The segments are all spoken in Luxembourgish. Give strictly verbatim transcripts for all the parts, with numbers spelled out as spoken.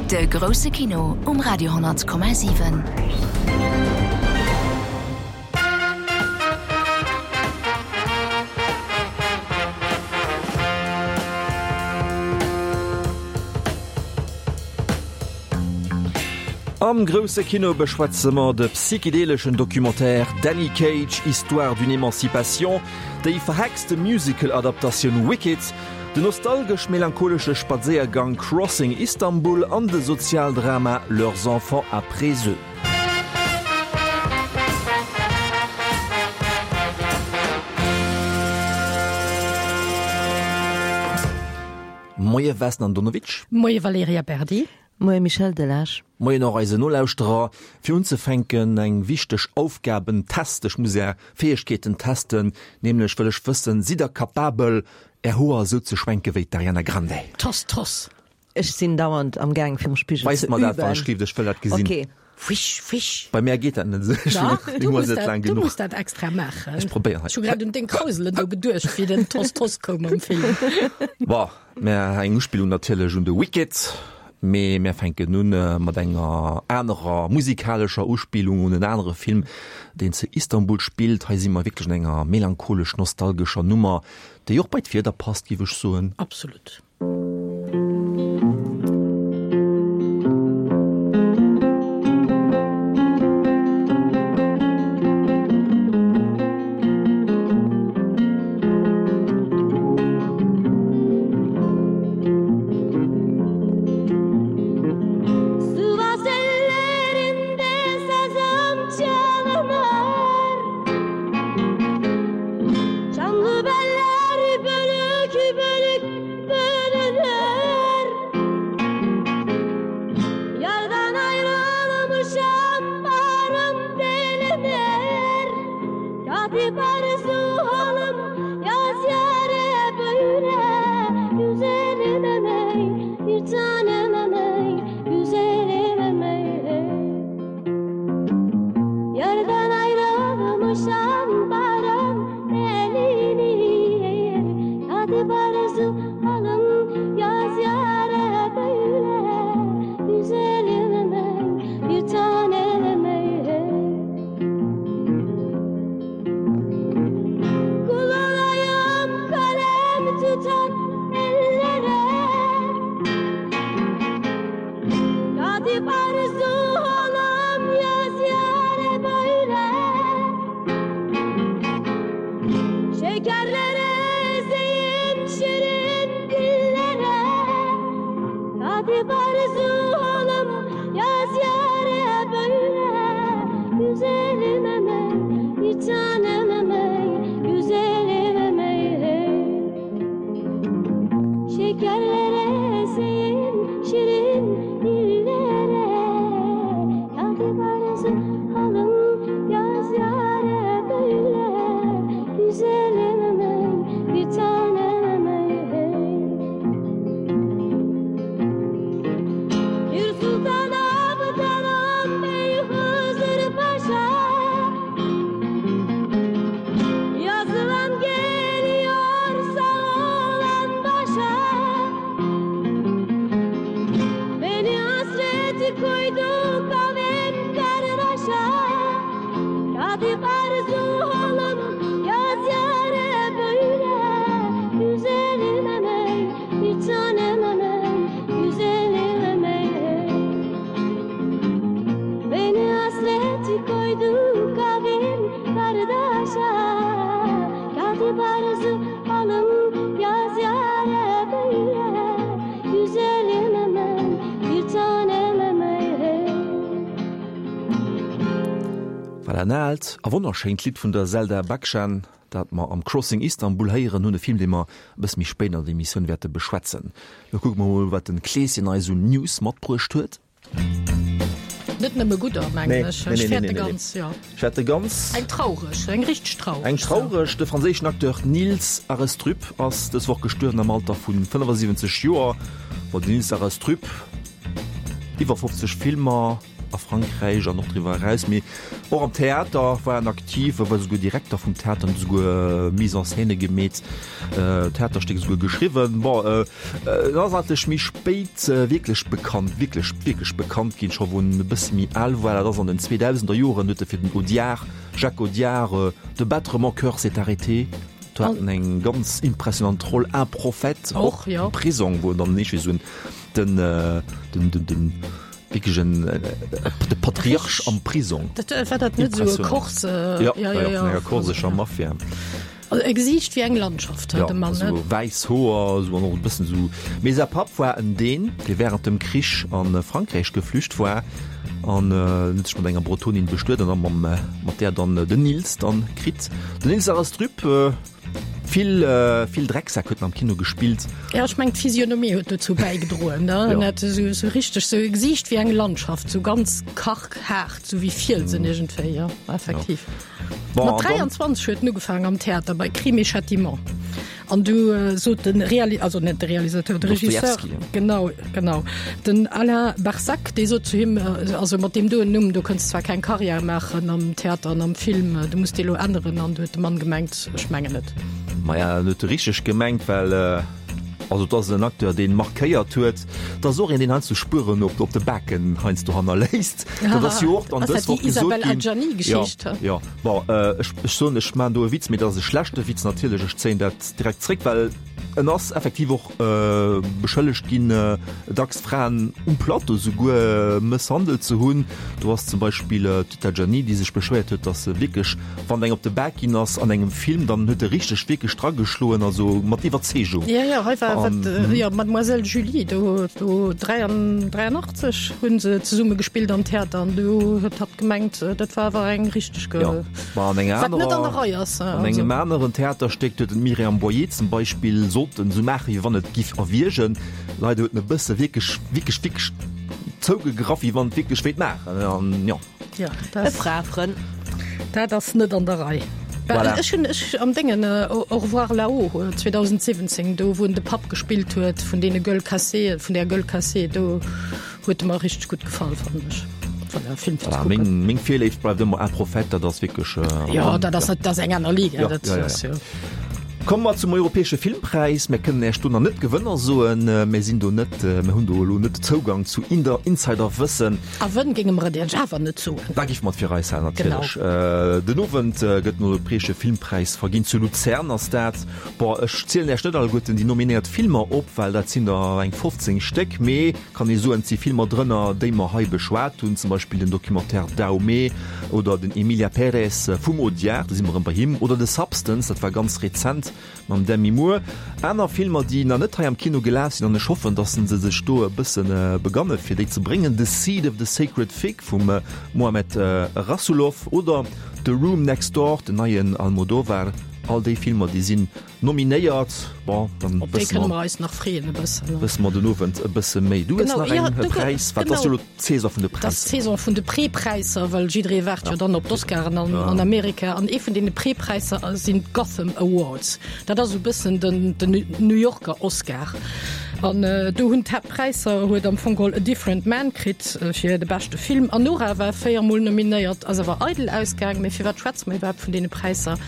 De grousse Kino um Radio honnert Komma siwen. Am grousse Kino beschwätze mer de psychedeleschen Documentaire Danny Cage, Histoire d'une émancipation, déi verhexte Musical-Adaptatioun Wicked, den nostalgesch-melancholesche Spadséiergang Crossing Istanbul an de Sozialdrama Leurs enfants après eux. Moie Vesna Andonovic. Moie Valerija Berdi. Moie Michel Delage. Moien och eisen Nolauschterer. Fir unzefänken eng wichteg Aufgabentest, ech muss är Fäegkeeten testen, nämlech wëll ech wëssen, sidd der kapabel är Hoer esou ze schwenke wéi d'Ariana Grande? Toss, toss! Ech sinn dauernd am Gaang virum Spigel ze Weist mer dat, wann üben. ech gleeft, ech wëll dat gesinn. Ok. Frisch, frisch. Bei mär geet dat net esou, ech Dach, hunn du mol muss net dat, laang du genuch. muss dat extra maachen. Ech probéieren Ech hu grad un deng Krauselen do geduecht, wéi den Toss, toss koum am Film. Bon, mä eng Uspillung natierlech un de Wicked. Mee mär fänken un mat enger anerer musikalescher Uspillung un en anere Film, deen zu Istanbul spillt. Hei si mer wierklech an enger melancholesch-nostalgescher Nummer, déi och bei d'Wieder passt, géif ech soen. Absolut. Voilà en aalt a wonnerschéint Lidd vun der Selda Bağcan, dat mer am Crossing Istanbul héieren hunn, e Film, dee mer e bësse méi spéit an der Emissioun wäerte beschwätzen. Lo kucke mer mol, wat den Kleeschen eis un News matbruecht huet. Net nëmme gudder, mengen ech. Nee, nee, Ech nee, fäerte nee, nee. ganz, ja. Ech fäerte ganz. Eng traureg, eng richteg traureg. Eng traureg. De franséischen Acteur Niels Arestrup ass dës Woch gestuerwen am Alter vu fënnefasiwwenzeg Joer. Bon, den Niels Arestrup, iwwer fofzeg Filmer, a Frankräich an och driwwer eraus, mee och am Theater war en aktiv, e war esouguer Direkter vum Theater an huet esouguer Mise en scène gemeet, Theaterstéck esouguer geschriwwen. Bon, en ass eigentlech méi spéit wierklech bekannt, wierklech, wierklech bekannt ginn, scho wou en e bësse méi al war, dat ass an den zweedausender Joren, huet e fir den Audiard, Jacques Audiard, De battre mon cœur s'est arrêté, do hat en eng ganz impressionant Roll, Un prophète, och am Prisong, wou en dann eescht wéi esou en den, den, den, den wierklech en, de Patriarch am Prisong. Dat, war dat net esou e Korse? Jo, jo, jo, vun enger korsescher Mafia. Also e Gesiicht wéi eng Landschaft huet de Mann, net? Jo, esou wäiss Hoer, esou an och e bëssen esou. Mee säi Papp war en Dän, dee wärend dem Krich a Frankräich geflücht war an en huet sech mat enger Bretonin bestuet an da mam, mat där dann den Nils dann kritt. Den Nils Arestrup, vill, vill Drecksäck huet en am Kino gespillt. Jo, ech mengen d'Physionomie huet dozou bäigedroen, ne? En hat esou, esou richteg esou e Gesiicht wéi eng Landschaft, esou ganz karg, haart, esou wéi Fielsen iergendwéi, jo, effektiv. Bon, Mat an dann dräianzwanzeg huet en ugefaangen am Theater bei Crime et Châtiment. An du sot den Reali-, also net de Realisateur, de Regisseur, Dostojewski, ja. genau, genau, den Alain Barsac, dee sot zu him, also mat deem doen Numm, do kënns de zwar keng Karriär maachen am Theater an am Film, du muss dee lo änneren. An du huet de Mann gemengt, ech mengen net. Maja, en huet richteg gemengt, well also et ass en Acteur, dee markéiert huet. Et ass och een, deen heiansdo Spueren op op de Baken heiansdo hannerléisst. Dat ass jo och dann Ass dës dat déi Woch gesot Isabelle ginn. Adjani-Geschicht? Jo, jo. Bon, ech ech soen, ech maachen do e Witz, mee dat ass e schlechte Witz natierlech. Ech zéien dat direkt zréck, well en ass effektiv och beschëllegt ginn, dacks Fraen um Plateau souguer mësshandelt ze hunn. Do ass zum Beispill d'Rita Adjani, déi sech beschwéiert huet, datt se wierklech, wann eng op de Bak ginn ass an engem Film, dann huet e richteg wierklech drageschloen, also mat Iwwerzeegung. Jo, jo, hei war wat, jo, Mademoiselle Julie, do, do dräianachtzeg hu se zesumme gespillt am Theater an do huet hatt gemengt, dat war awer eng richteg, Jo, ma an enger wat net an der anerer, Rei ass. an engem aneren Theaterstéck huet d'Myriam Boyer zum Beispill sollten esou maachen, wéi wann et giff erwiergen. Leider huet en e bësse wierklech, wierklech, wierklech zougegraff, wéi wann et wierklech wéilt maachen. An jo. Ja, E dat, Frafrënn. dat ass net an der Rei. Voilà. Ech hunn ech am Déngen Au revoir là-haut zweedausendsiwwenzéng, do wou en de Papp gespillt huet vun deene Gueules cassées, vun där Gueule cassée, do huet e mer richteg gutt gefall, fannen ech. Voilà, Film fir ze Voilà, kucken. meng, meng Virléift bleift ëmmer Un prophète, dat ass wierklech. Jo, dat ass, dat ass eng aner Liga, Ja, dat ja, ja, ass ja. jo. Komme mer zum europäesche Filmpräis. Mir kënnen Äech do nach net d'Gewënner soen. Mir sinn do net, mir hunn do elo net Zougang zu Insiderwëssen. A wënn géinge mer et Iech awer net soen. Da géife mer et fir eis halen, natierlech. Den Owend gëtt den europäesche Filmpräis verginn. Zu Luzern ass dat. Bon, ech zielen Äech net alleguerten déi nominéiert Filmer op, well dat sinn der eng fofzéng Stéck. Mee kann ee soen, et si Filmer drënner, déi mer hei beschwat hunn, zum Beispill den Documentaire Dahomey oder den Emilia Pérez vum Audiard, do si mer erëm bei him, oder The Substance, dat war ganz rezent mam Demi Moore. Aner Filmer, déi nach net hei am Kino gelaf sinn, an ech hoffen, datt se sech do e bësse beganne fir déi ze bréngen, The Seed of the Sacred Fig vum Mohamed Rasoulof oder The Room Next Door, den neien Almodovar. All déi Filmer, déi sinn nominéiert. Bon, dann Op déi wësse kënne mer, mer eis nach freeën e bëssen, ne? wësse mer den Owend e bësse méi. Du hues Genau, nach ja, eng du, Präis, wat ass genau. jo elo d'Saison vun de Dat ass Präisser. d'Saison vun de Prepräisser, well jidderee waart jo dann op d'Oscaren an, an Amerika. An ee vun deene Prepräisser sinn d'Gotham Awards. Dat ass esou e bëssen den, den New Yorker Oscar. An do hunn d'Haaptpräisser huet am Fong geholl A Different Man kritt fir de beschte Film. Anora war véier Mol nominéiert, ass awer eidel ausgaang. Mee firwat schwätze mer iwwerhaapt vun deene Präisser?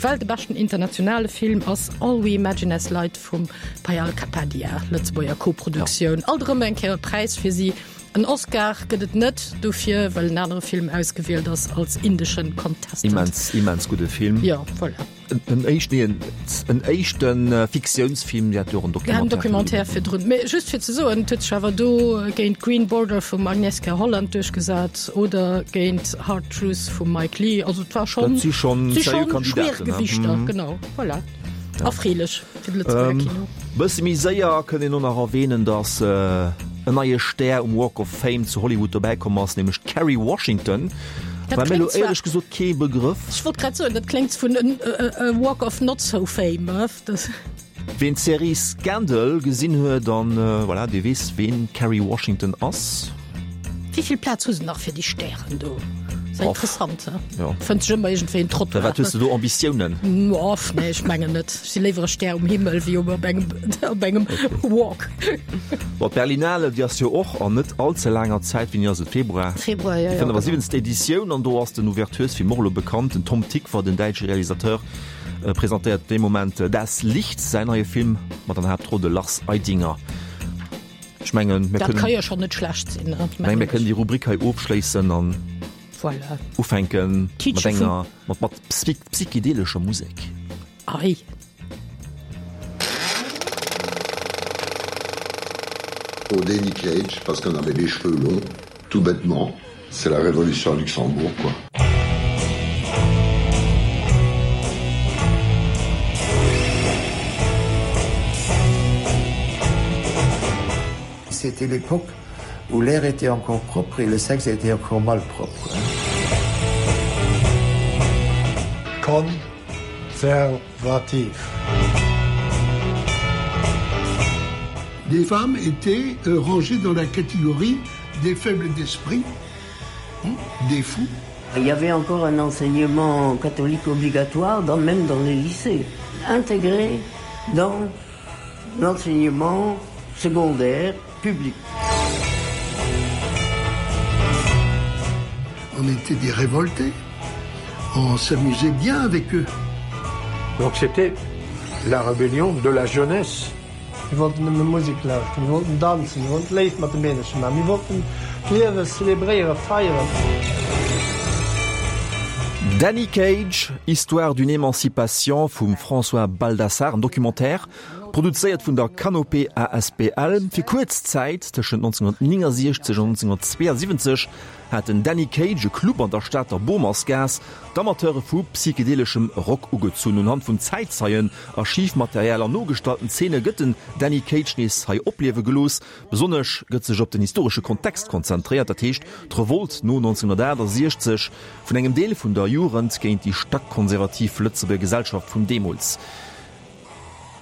Well de beschten internationale Film ass All We Imagine As Light vum Payal Kapadia, Lëtzebuerger Koproduktioun. Alt erëm eng Kéier e Präis fir si. En Oscar gëtt et net dofir, well en anere Film ausgewielt ass als indeschen Contestant. Immens, immens gudde Film. Jo, voilà. En éischten, nee, en éischte Fiktiounsfilm, Dir hat jo och en Ja, en Documentaire Documentaire virdrun. Mee just fir ze soen, et huet sech awer do géint Green Border vum Agnieszka Holland duerchgesat oder géint Hard Truth vum Mike Leigh. Also et war schonn, Dat si schonn si seriö schonn Kandidaten, ne? Schwergewichter, genau. Voilà. Erfreelech fir de Lëtzebuerger Kino. Bësse méi séier kënnt een och nach erwähnen, datt en neie Stär um Walk of Fame zu Hollywood dobäi komm ass, nämlech d'Kerry Washington. Dat War mir elo kléngt zwar, éierlech gesot kee Begrëff. ech wollt grad soen, dat kléngt vun e Walk of not so fame. Das. Ween d'Serie Scandal gesinn huet, dann voilà, dee weess, ween d'Kerry Washington ass. Wéi vill Plaz hu se nach fir déi Stären do? Interessant fënnt sech ëmmer iergendwéi en Trottoir. Firwat hues de do Ambitiounen? Off, nee, ech mengen net. Ech si léiwer e Stär um Himmel wéi op engem, op engem Walk. Bon, d'Berlinale, déi ass jo och an net all ze laanger Zäit, wéini ass et, Februar? Februar, jo, jo. Déi fënnefasiwwenzte Editioun an do ass den Ouverturesfilm och elo bekannt, den Tom Tykwer, den däitsche Realisateur, presentéiert dee Moment Das Licht, säin neie Film mat an der Haaptroll de Lars Eidinger. Ech mengen, mir Dat ka kënnen, jo schonn net schlecht sinn, ne? meng, mir kënnen déi Rubrik hei ofschléissen an Voilà. ufänken mat Teacher vum. enger, mat, mat psychedelescher Musek. Ei. Pour Danny Cage, parce qu'on avait les cheveux longs, tout bêtement, c'est la révolution à Luxembourg quoi. C'était l'époque où l'air était encore propre et le sexe était encore malpropre. Konservativ. Des femmes étaient euh, rangées dans la catégorie des faibles d'esprit, des fous. Il y avait encore un enseignement catholique obligatoire dans, même dans les lycées, intégré dans l'enseignement secondaire public. On était des révoltés. On s'amusait bien avec eux. Donc c'était la rébellion de la jeunesse. Mir wollten nëmme Musek lauschteren, mir wollten danzen, mir wollten d'Léift mat de Meedercher maachen, mir wollten d'Liewe zelebréieren, feieren. Danny Cage, Histoire d'une émancipation vum François Baldassarre, en Documentaire, produzéiert vun der Canopée asbl. Fir kuerz Zäit, tëschent nonzénhunnertnéngasiechzeg an nonzénhunnertzweeasiwwenzeg, hat den Danny Cage e Club an der Stater Bomersgaass d'Amateure vu psychedeleschem Rock ugezunn. Unhand vun Zäitzeien, Archivmaterial an nogestallten Zeene gëtt den Danny Cage nees hei opliewe gelooss. Besonnesch gëtt sech op den historesche Kontext konzentréiert, dat heescht d'Revolt no nonzénhunnertaachtasechzeg vun engem Deel vun der Jugend géint déi stackkonservativ Lëtzebuerger Gesellschaft vun deemools.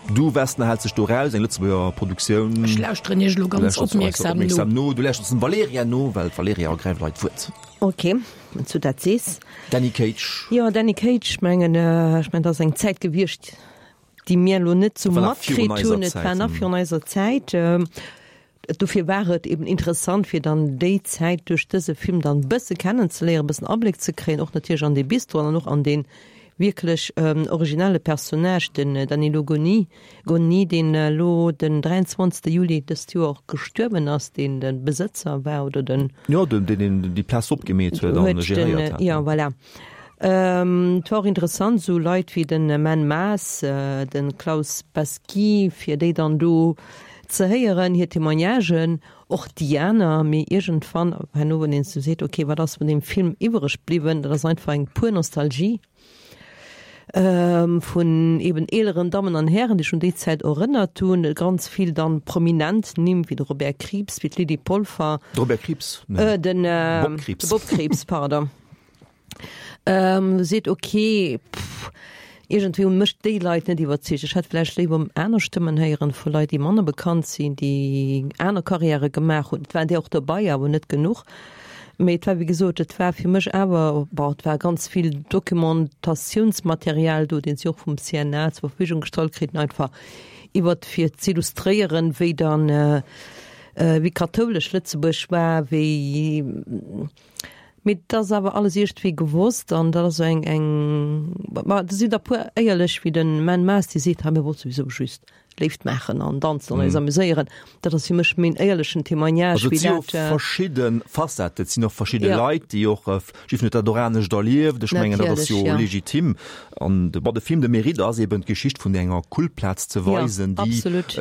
Du Vesna häls dech do raus, eng Lëtzebuerger Produktioun. Ech lauschteren iech elo ganz opmierksam no. Du lauschters dem Valerija no, well d'Valerija ergräift hei d'Wuert. Ok, wann s du dat sees. Danny Cage. Jo, Danny Cage, ech mengen, ech mengen, dat ass eng Zäit gewiescht, déi mir elo net sou matkritt hunn. Et war nach virun eiser Zäit. Dofir war et eben interessant, fir dann déi Zäit duerch dëse Film dann e bësse kennenzeléieren, e bëssen Abléck ze kréien, och natierlech an dee Bistro an och an dee wierklech originelle Personnage, den Danilo Goni, Gonni, deen elo den dräianzwanzegste Juli dëst Joer och gestuerwen ass, deen de Besëtzer war oder den. Jo, deen deen déi Plaz opgemeet huet an geréiert hat. Jo, voilà. Et war och interessant, esou Leit wéi de Menn Maas, de Klaus Pesky, fir déi dann do ze héieren, hir Témoignagen, och déi aner. Mee iergendwann, herno, wann een esou seet, okay, wat ass vun deem Film iwwereg bliwwen, dat ass einfach eng pur Nostalgie vun eben eeleren Dammen an Hären, déi sech un déi Zäit erënnert hunn. Ganz vill dann prominent Nimm wéi de Robert Krieps, wéi d'Lydie Polfer. De Robert Krieps? Nee. Den Bob Krieps. De Bob Krieps, pardon. Seet, ok, pff, iergendwéi hunn mech déi Leit net iwwerzeegt. Ech hätt vläicht léiwer aner Stëmmen héieren vu Leit, déi manner bekannt sinn, déi aner Karriäre gemaach hunn. Et waren där och dobei, awer net genuch. Mee et war, wéi gesot, et war fir mech awer, bon, et war ganz vill Dokumentatiounsmaterial do, deen si och vum C N A zur Verfügung gestallt kriten, einfach iwwert, fir z'illustréieren, wéi dann, wéi kathoulesch Lëtzebuerg war, wéi, mee et ass awer alles iergendwéi gewosst an dat ass esou eng, eng, ma do sinn der puer éierlech wéi de Menn Maas, dee seet, hei mir wollte souwisou just Léift maachen an danzen an eis amuséieren. Dat ass fir mech méi en éierlechen Témoignage Also et wéi si jo dat. verschidde Facetten, et sinn och verschidde Ja. Leit, déi och, jiddwereen huet dat och anescht erlieft. Ech mengen, dat ass Natierlech, jo ja. legitim. An de, bon, de Film de Mérite ass eben d'Geschicht vun enger Kultplaz ze Ja, weisen, déi absolut.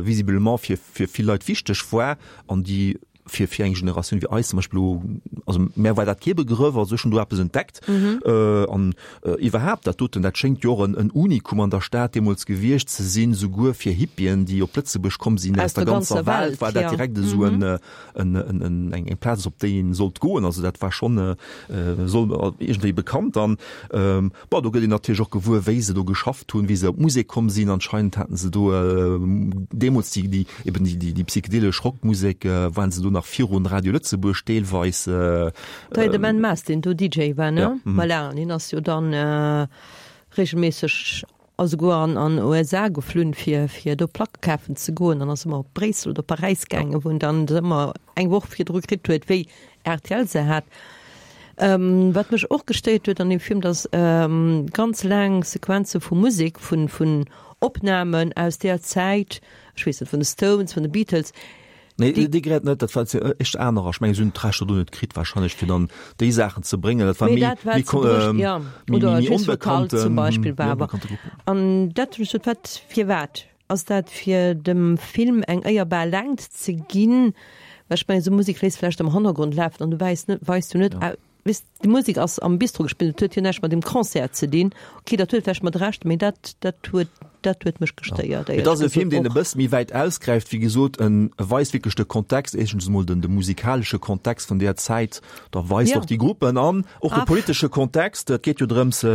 visiblement fir, fir vill Leit wichteg war an déi fir, fir eng Generatioun wéi eis zum Beispill elo, also mär war dat kee Begrëff, also ech hunn do eppes entdeckt. An iwwerhaapt dat doten, dat schéngt jo och en, en Unikum an der Stad deemools gewiescht ze sinn, souguer fir Hippien, déi op Lëtzebuerg komm sinn aus der ganzer Welt, war dat direkt esou en, en, en, en, eng, eng Plaz, op déi een sollt goen. Also dat war schonn, soll iergendwéi bekannt. An bon, do gëtt een natierlech och gewuer, wéi se do geschafft hunn, wéi se op d'Musek komm sinn. Anscheinend haten se do deemools déi, déi, eben déi, déi, déi psychedelesch Rockmusek, waren se do nach nach virun Radio Lëtzebuerg deelweis. Da de Ben Maas, deen do D J war, ne? Ja, mhm. Voilà, an hien ass jo dann regelméisseg a souguer an an U S A geflunn, fir fir do Placke kafen ze goen, an ass ëmmer op Bréissel oder Paräis gaangen, wou en dann se ëmmer eng Woch virdru kritt huet, wéi R T L se hat. Ähm, wat mech och gestéiert huet an dem Film, dass ähm, ganz laang Sequenze vu Musek, vun vun Opnamen aus där Zäit, ech weess net, vun de Stones, vun de Beatles, Nee, déi, déi Gerät net, dat war echt anerer. Ech mengen, si hunn d'Rechter do net kritt wahrscheinlech, fir dann déi Saachen ze bréngen. Dat war Mee méi, dat war méi, ze bruecht, ähm, ja. méi, Oder méi Just for Cult onbekannten, zum Beispill méi war awer. onbekannte Gruppen. An dat hunn ech gesot, wat, firwat? Ass dat fir dem Film eng éierbar Längt ze ginn? Well ech mengen, esou Musek léisst vläicht am Hannergrond lafen an du weis net, weis du net, Ja. weess, déi Musek ass am Bistro gespillt, dat huet jo näischt mat dem Concert ze dinn. Okay, dat huet vläicht mat Recht, mee dat, dat huet, dat huet mech gestéiert, Et ass éierlech e Film, gesot deen e och. bësse méi wäit ausgräift, wéi gesot, en weist wierklech de Kontext, éischtens emol den, de musikalesche Kontext vun där Zäit, da weist Ja. och déi Gruppen an, och de Ah. politesche Kontext. Et geet jo drëms,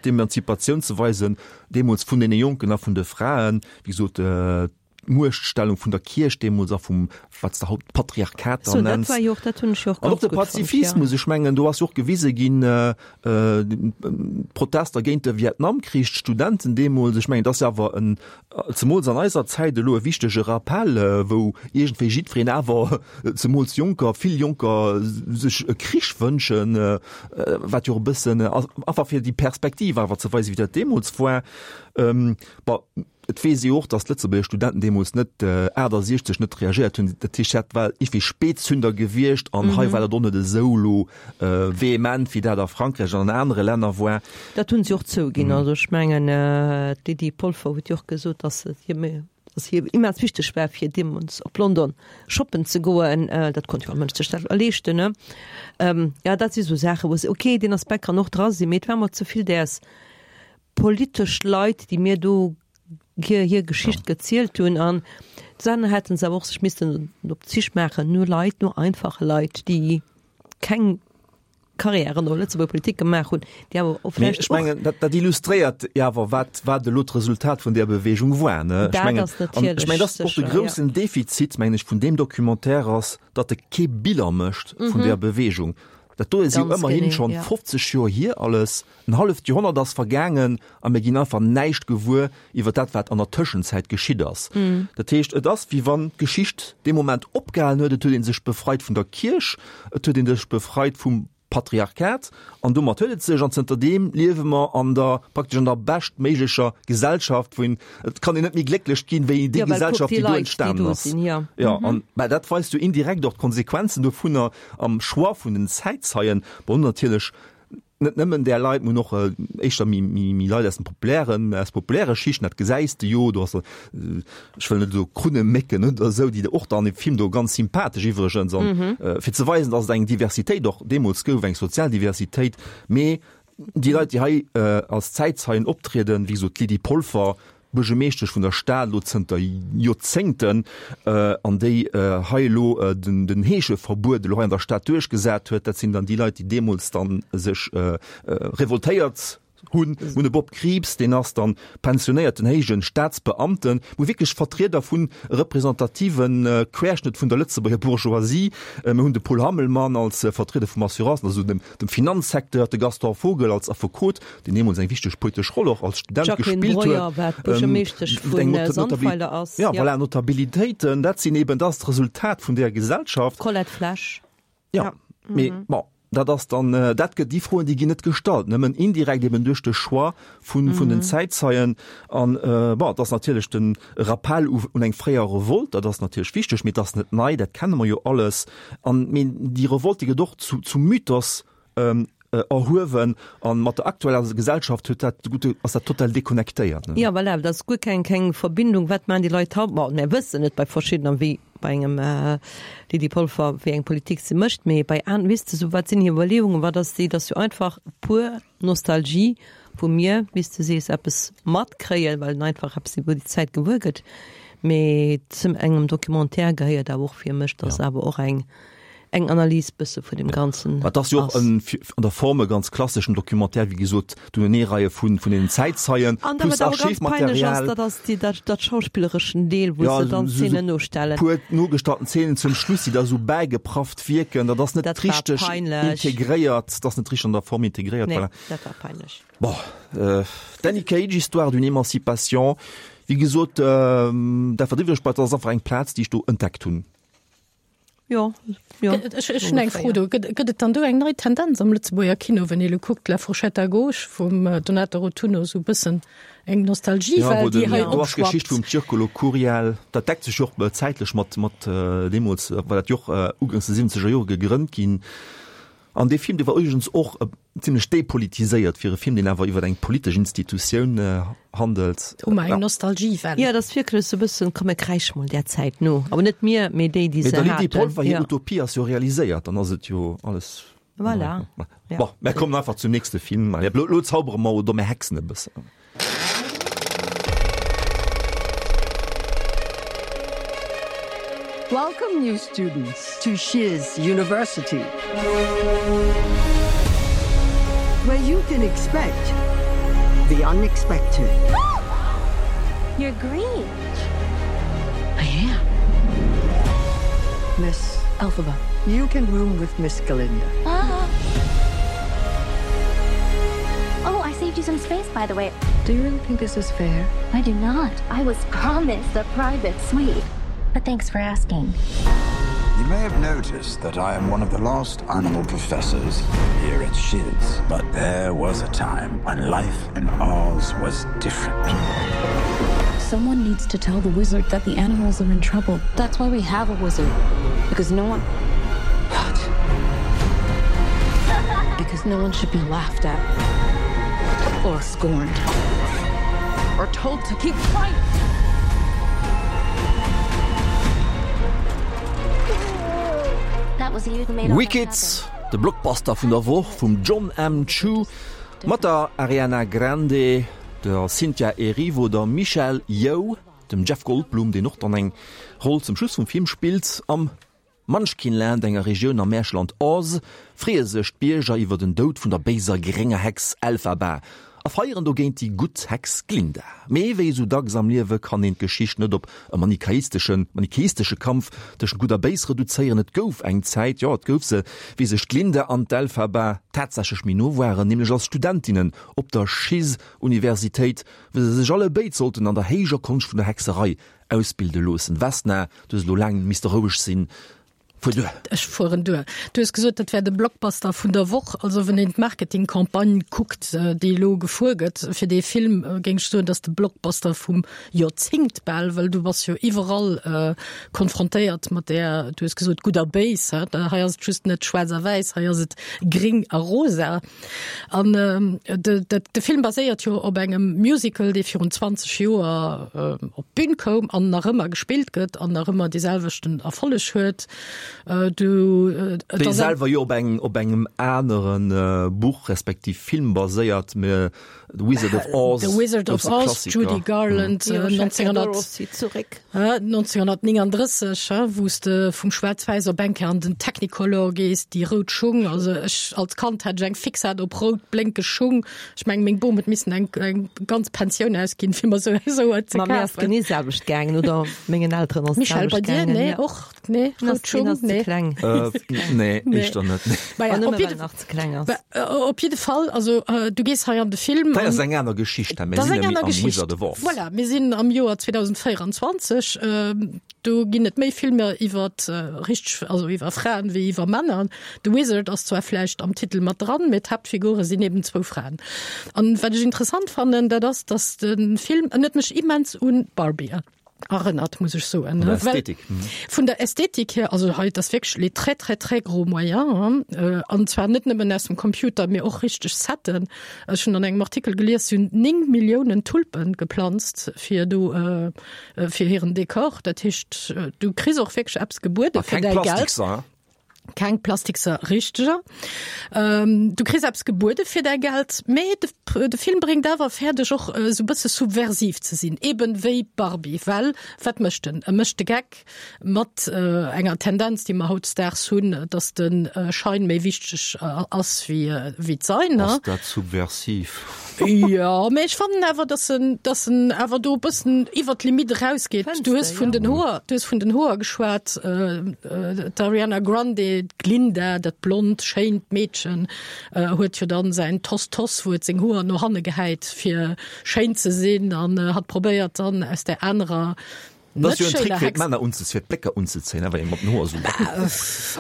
d'Emanzipatioun ze weisen, deemools vun deene Jonken a vun de Fraen, wéi gesot, d'Muechtstellung vun der Kierch deemools a vum, wat s de haut Patriarchat So, dann dat nenns. war jo och, dat hunn ech jo och An och ganz de gutt fonnt, ja. Pazifismus, ech mengen, do ass jo och gewise ginn, äh, äh, d'Protester géint de Vietnamkrich, d'Studenten deemools, ech mengen, dat ass jo awer en, zemools an eiser Zäit elo e wichtege Rappell, äh, wou iergendwéi jiddwereen awer, zemools Jonker, vill Jonker sech e Krich wënschen, äh, wat jo och e bëssen, einfach fir déi Perspektiv awer ze weisen, wéi dat deemools war. Ähm, bon, et weess ee och, datt d'Lëtzebuerger Studenten deemools net achtasiechzeg net reagéiert hunn. Dat heescht, dat war iergendwéi Spätzünder gewiescht an hei war dat och net esou elo vehement, wéi dat a Frankräich an an anere Länner war. Dat hunn si och zouginn. Also ech mengen, d'Lydie Polfer huet jo och gesot, datt et hir méi, datt hir immens wichteg war, fir deemools op London shoppen ze goen. Dat konnt jo all Mënsch sech dat leeschten, ne? Jo, dat si sou Saachen, wou se, okay, deen Aspekt kann och dra sinn, mee et war mer ze vill däers politesch Leit, déi mir do hir, hir Geschicht ja. gezielt hunn an dann hätten se awer och sech missten op d'Sich maachen no Leit, no einfache Leit, déi keng Karriären an der Lëtzebuerger Politik gemaach hunn, déi awer och Mee vläicht ech mengen, dat, dat illustréiert jo awer, wat, wat elo d'Resultat vun där Beweegung war, ne? Ech Dat mengen, ass an ech natierlech mengen, dat ass och de sécher, ja. groussen Defizit, mengen ech, vun deem Documentaire ass, datt e kee Biller mécht vun där Beweegung. Dat do ass jo Ganz ëmmerhin genee, schonn ja. fofzeg Joer hier alles, en halleft Joerhonnert ass vergaangen a mir ginn einfach näischt gewuer iwwer dat, wat an der Tëschenzäit geschitt ass. Dat heescht, et ass, wéi wann d'Geschicht dee Moment opgehalen huet, et huet ee sech befreit vun der Kierch, et huet ee sech befreit vum Patriarchat an domat huet et sech an zënterdeem liewe mer an der praktesch an der beschtméiglecher Gesellschaft, wou een, et kann een net méi glécklech ginn, wéi déi Ja, well kuck Gesellschaft, déi déi do Leit, déi entstanen do ass. sinn, ja. Ja, an mä dat weist jo indirekt och d'Konsequenzen dovunner am Choix vun den Zäitzeien, bon natierlech net nëmmen där Leit, mä och éischter méi, méi, méi Leit aus dem populären, aus populäre Schichten, dat gesäis de jo, do ass, ech wëll net esou Krunnemécken oder esou, déi och dann am Film do ganz sympathesch iwwregens an, fir ze weisen, datt et eng Diversitéit och deemools gouf, eng sozial Diversitéit, mee déi Leit, déi hei als Zäitzeien optrieden, wéi gesot d'Lydie Polfer, Buergermeeschtesch vun der Stad elo zënter Joerzéngten, an déi hei elo den, den Heescheverbuet elo hei an der Stad duerchgesat huet, dat sinn dann déi Leit, déi deemools dann sech revoltéiert hunn. Mir hunn de Bob Krieps, deen ass dann pensionéierten héijen Staatsbeamten, wou wierklech Vertrieder vun representativen Querschnëtt vun der Lëtzebuerger Bourgeoisie. Mir hunn de Paul Hammelmann als Vertrieder vum Assurance, also dem, dem Finanzsecteur, de Gaston Vogel als Affekot, deen deemools eng wichteg politesch Roll och als Student Jacqueline gespillt huet. Breuer, wat Buergermeeschtesch Eng vun Sandweiler ass. Ja, voilà, Notabilitéiten, dat sinn eben dat ass d'Resultat vun där Gesellschaft. Colette Flesch. Ja, mee bon, dat ass dann, dat gëtt, déi Froen, déi ginn net gestallt, nëmmen indirekt eben duerch de Choix vun, vun den Zäitzeien. An bon, dat ass natierlech den Rappell u, un eng fréier Revolte, dat ass natierlech wichteg, mee dat ass net nei, dat kenne mer jo alles. An mee déi Revolte, déi gëtt och zu, zum Mythos erhuewen an mat der aktueller Gesellschaft huet dat, gutt, ass dat total deconnectéiert, ne? Ja, voilà, dat ass guer keng, keng Verbindung, wat maachen déi Leit haut? Bon, mir wëssen et bei verschiddener, wéi bei engem Lydie Polfer, wéi eng Politik se mécht, mee bei aner, weess de, sou, wat sinn hir Iwwerleeungen, wat ass déi, dat ass jo einfach pur Nostalgie, wou mir, wéi s de sees, eppes matkréien, well en einfach eppes iwwer déi Zäit gewuer gëtt. Mee zum engem Documentaire gehéiert awer och fir mech, dass awer och eng, eng Analys bësse vun dem Ganzen Mä et ass jo och en an der Form e ganz klasseschen Documentaire, wéi gesot, d'Uneneereie vun vun den Zäitzeien An da plus wat awer ganz peinlech ass, Archivmaterial. dat ass déi dat dat schauspillereschen Deel, wou Ja, se dann esou esou Szenen nostellen. puer nogestallten Szenen zum Schluss, déi da sou bäigeprafft wierken, dat ass net Dat war richteg peinlech. integréiert, dat ass net richteg an der Form integréiert, Nee, voilà. dat war peinlech. Bon, euh, Danny Cage, Histoire d'une émancipation, wéi gesot, dat wat iwwreg bleift, dat ass einfach eng Plaz, déi ech do entdeckt hunn. Jo, jo. Ech ech hunn eng Fro do. Gëtt gëtt et dann do eng nei Tendenz am Lëtzebuerger Kino, wenn ee lo kuckt, La fourchette à gauche vum Donato Rotunno, sou e bëssen eng Ja, Nostalgiewell, wou déi den, hei do ass d'Geschicht opschwappt? vum Circolo Curiel, dat deckt sech jo och zäitlech mat mat deemools war dat jo och uganks de siwwenzeger Jore gegrënnt ginn. An dee Film, dee war übrigens och zimlech depolitiséiert fir e Film, deen awer iwwer eng politesch Institutioun handelt. Hu mer eng Nostalgiewell? Jo, dat ass wierklech esou e bëssen, komm mir kräische mol där Zäit no. Awer net mir, mee déi, déi Mee se der Lydie haten. Polfer hir Jo. Utopie ass jo realiséiert, dann ass et jo alles in Voilà. Ordnung. Ja. Bon, mir kommen einfach zum nächste Film. Lo, lo zaubere mer oder mir hexen e bëssen. Welcome, new students, to Shiz University, where you can expect the unexpected. You're green. I am. Miss Elphaba, you can room with Miss Galinda. Ah. Oh, I saved you some space, by the way. Do you really think this is fair? I do not. I was promised a private suite. But thanks for asking. You may have noticed that I am one of the last animal professors here at Shiz, but there was a time when life in Oz was different. Someone needs to tell the wizard that the animals are in trouble. That's why we have a wizard, because no one What? Because no one should be laughed at or scorned or told to keep quiet. Wicked, de Blockbuster vun der Woch vum Jon M. Chu mat der Ariana Grande, der Cynthia Erivo, der Michelle Yeoh, dem Jeff Goldblum, deen och dann eng Roll zum Schluss vum Film spillt. Am Munchkinland, enger Regioun am Märcheland Oz, freeë sech d'Bierger iwwer den Doud vun der béiser grénger Hex Elphaba a feieren dogéint déi gutt Hex Glinda. Mee wéi esou dacks am Liewe kann een d'Geschicht net op e manichaisteschen manichäistesche Kampf tëschent Gutt a Béis reduzéieren. Et gouf eng Zäit, jo et gouf se, wéi sech d'Glinda an d'Elphaba tatsächlech méi no waren, nämlech als Studentinnen op der Shiz-Universitéit, wou se sech allebéid sollten an der héijer Konscht vun der Hexerei ausbilde loossen. Vesna, du hues elo laang misste roueg sinn. Fuer duer. Ech fueren duer. Du hues gesot, dat wär de Blockbuster vun der Woch. Also wann een d'Marketingcampagne kuckt, déi elo gefuer gëtt fir dee Film, géing ech soen, dat ass de Blockbuster vum Joerzéngt bal, well du bass jo iwwerall konfrontéiert mat där, du hues gesot, gutt a béis. Hei ass et just net schwaarz a wäiss, hei ass et gréng a rosa. An de Film baséiert jo op engem Musical, dee virun zwanzeg Joer op d'Bün koum an nach ëmmer gespillt gëtt an nach ëmmer dee selwechten Erfolleg huet. Du, Dee selwer jo op engem, op engem anere Buch respektiv Film baséiert, mä The Wizard of Oz, The Wizard of grousse Oz, Klassiker. Judy Garland, neunzehnhundertneununddrësseg, wou s de vum Schwaarz-Wäiss op eng Kéier an den Technicolor gees, déi rout Schung. Also ech als Kand hat ech eng Fixade op rout blénkeg Schung. Ech mengen, meng Bom huet missen eng, eng ganz Pensioun ausginn, fir mer sou, sou et ze Ma mir ass kafen. genee selwecht gaangen, oder mengen Elteren ass Michèle, bei d'selwecht dir? gaangen, Nee, ja. och? Nee, Hien rout ass, hien Schung? ass ze Nee. kleng. Äh, nee, Nee. éischter net, nee. Maja, An op nëmme jidde well en nach ze kleng ass. Ba, op jidde Fall, also du gees hei an de Film Dat ass an eng aner Geschicht, mir Dat ass sinn eng nämlech aner am Geschicht. Wizard of Oz. Voilà, mir sinn am Joer zweedausendvéierundzwanzeg. Do ginn et méi Filmer iwwer richteg, also iwwer Fraen wéi iwwer Männer. The Wizard ass zwar vläicht am Titel mat dran, mee d'Haaptfigure sinn eben zwou Fraen. An wat ech interessant fannen, dat ass, dass de Film, en huet mech immens un Barbie erënnert, muss ech soen. Vun der Well Ästhetik. vun der Ästhetik hier, also hei, dat ass wierklech les très très très gros moyens, hein, an zwar net nëmmen aus dem Computer, mee och richteg Setten. Ech hunn an engem Artikel gelies, si hunn néng Milliounen Tulpen geplanzt fir do, fir hiren Dekor. Dat heescht, du kriss och wierklech eppes gebuede A fir keng däi Geld. Plastikser, hein? Keng plastikser richteger. Ähm, du kriss eppes gebuede fir däi Geld, mee de, de Film bréngt awer fäerdeg och esou bësse subversiv ze sinn, eben wéi Barbie, well wat mécht en? E mécht de Geck mat enger Tendenz, déi mer hautdesdaags hunn, dass de Schein méi wichteg ass wéi, wéi d'Sein. Ass dat subversiv? Jo, mee ech fannen awer, dass en, dass en awer do e bëssen iwwer d'Limite erausgeet. Du hues vun den Hoer, du hues vun den Hoer geschwat, d'Ariana Grande, d'Glinda, dat blond, schéint Meedchen, huet jo dann säin Toss-Toss, wou et seng Hoer no hanne gehäit, fir schéin ze sinn, an hat probéiert dann aus där anerer Dat ass jo en Trick fir d'Männer unzezéien, fir d'Blécker unzezéien, awer ee mat den Hoer esou.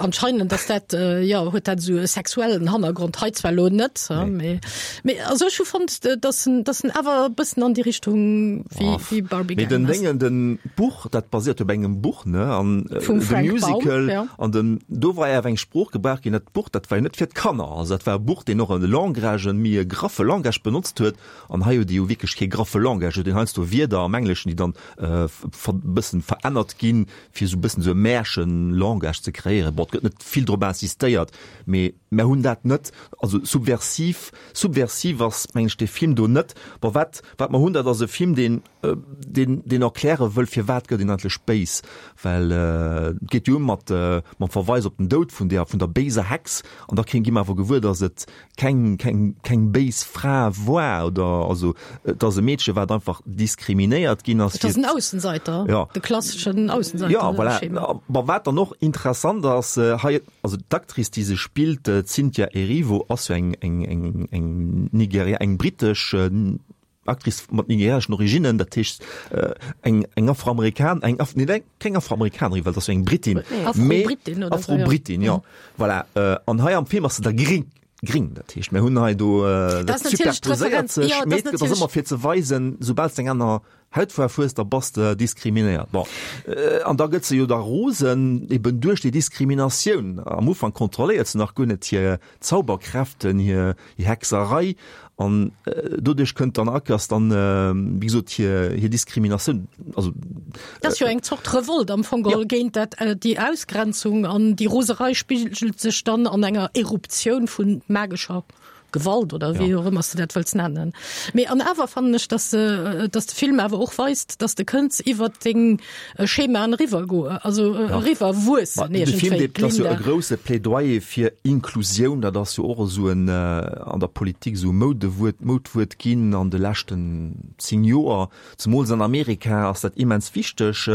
Anscheinend ass dat, jo, huet dat esou e sexuellen Hannergrond, hei zwar elo net, mee, mee also ech hu fonnt, dass en, dass en awer e bëssen an déi Richtung wéi, wéi Barbie Mee den gaangen ass. Déngen, den Buch, dat basiert jo op engem Buch, ne, an Vum de Frank Baum, Musical, jo. an den, do war awer eng Sprooch gebraucht ginn, dat Buch, dat war jo net fir d'Kanner, also dat war e Buch, deen och e Langage, e méi e graffe Langage benotzt huet, an hei huet ee jo wierklech kee graffe Langage, huet een heiansdo Wierder am Engleschen, déi dann bëssen verännert ginn, fir esou bëssen esou e Märchen-Langage ze kreéieren. Bon, et gëtt net vill drop insistéiert, mee mär hunn dat net. Also subversiv, subversiv ass, mengen ech, dee Film do net. Bon, wat, wat mer hunn, dat ass e Film, deen, deen, deen erkläre wëll, firwat gëtt een eigentlech béis. Well et geet jo u mat, mam Verweis op den Doud vun där, vun der béiser Hex, an da kréien, gi mer awer gewuer, datt et keng, keng, keng béis Fra war oder, also et ass e Meedche wat einfach diskriminéiert ginn ass. Et ass en Aussenseiter, ja. de klasseschen Aussenseiter. Ja, voilà. Ma wat dann och interessant ass hei, also d'Actrice déi se spillt, d'Cynthia Erivo, ass jo eng, eng, eng, eng Nigeria, eng britesch Actrice mat nigerianeschen Originnen, dat heescht eng, eng Afroamerikan, eng Af, nee, keng Afroamerikanerin, well dat ass jo eng Britin, mee Afro-Britin oder esou, jo. Afro-Britin, jo, voilà. An hei am Film ass se da gring, gring, dat heescht, mir hunn hei do, Dat dat ass natierlech superposéiert d'Referenz, sech, jo, dat mee ass et ass natierlech. ëmmer fir ze weisen, soubal s de eng aner Hautfaarf hues, da bass de diskriminéiert. Bon, an da gëtt se jo da rosen, eben duerch déi Diskriminatioun. Am Ufank kontrolléiert se nach guer net hir Zauberkräften, hir Hexerei, an doduerch kënnt dann Akers dann, wéi gesot, hir hir Diskriminatioun, also. Dat ass jo eng Zort Revolt am Fong geholl géint dat, déi Ausgrenzung, an déi Roserei spigelt sech dann an enger Eruptioun vu magescher Gewalt oder wéi och ëmmer s de dat wëlls nennen. Mee an awer fannen ech, dass dass de Film awer och weist, dass de kënns iwwert deng Schemaen eriwwer goen, also eriwwer wuessen De Film, iergendwéi. dat ass jo e Glinda. grousse Plädoyer fir Inklusioun, dat ass jo och esou en an der Politik esou e Moudewuert, Moudwuert ginn an de leschten zéng Joer. Zemools an Amerika ass dat immens wichteg.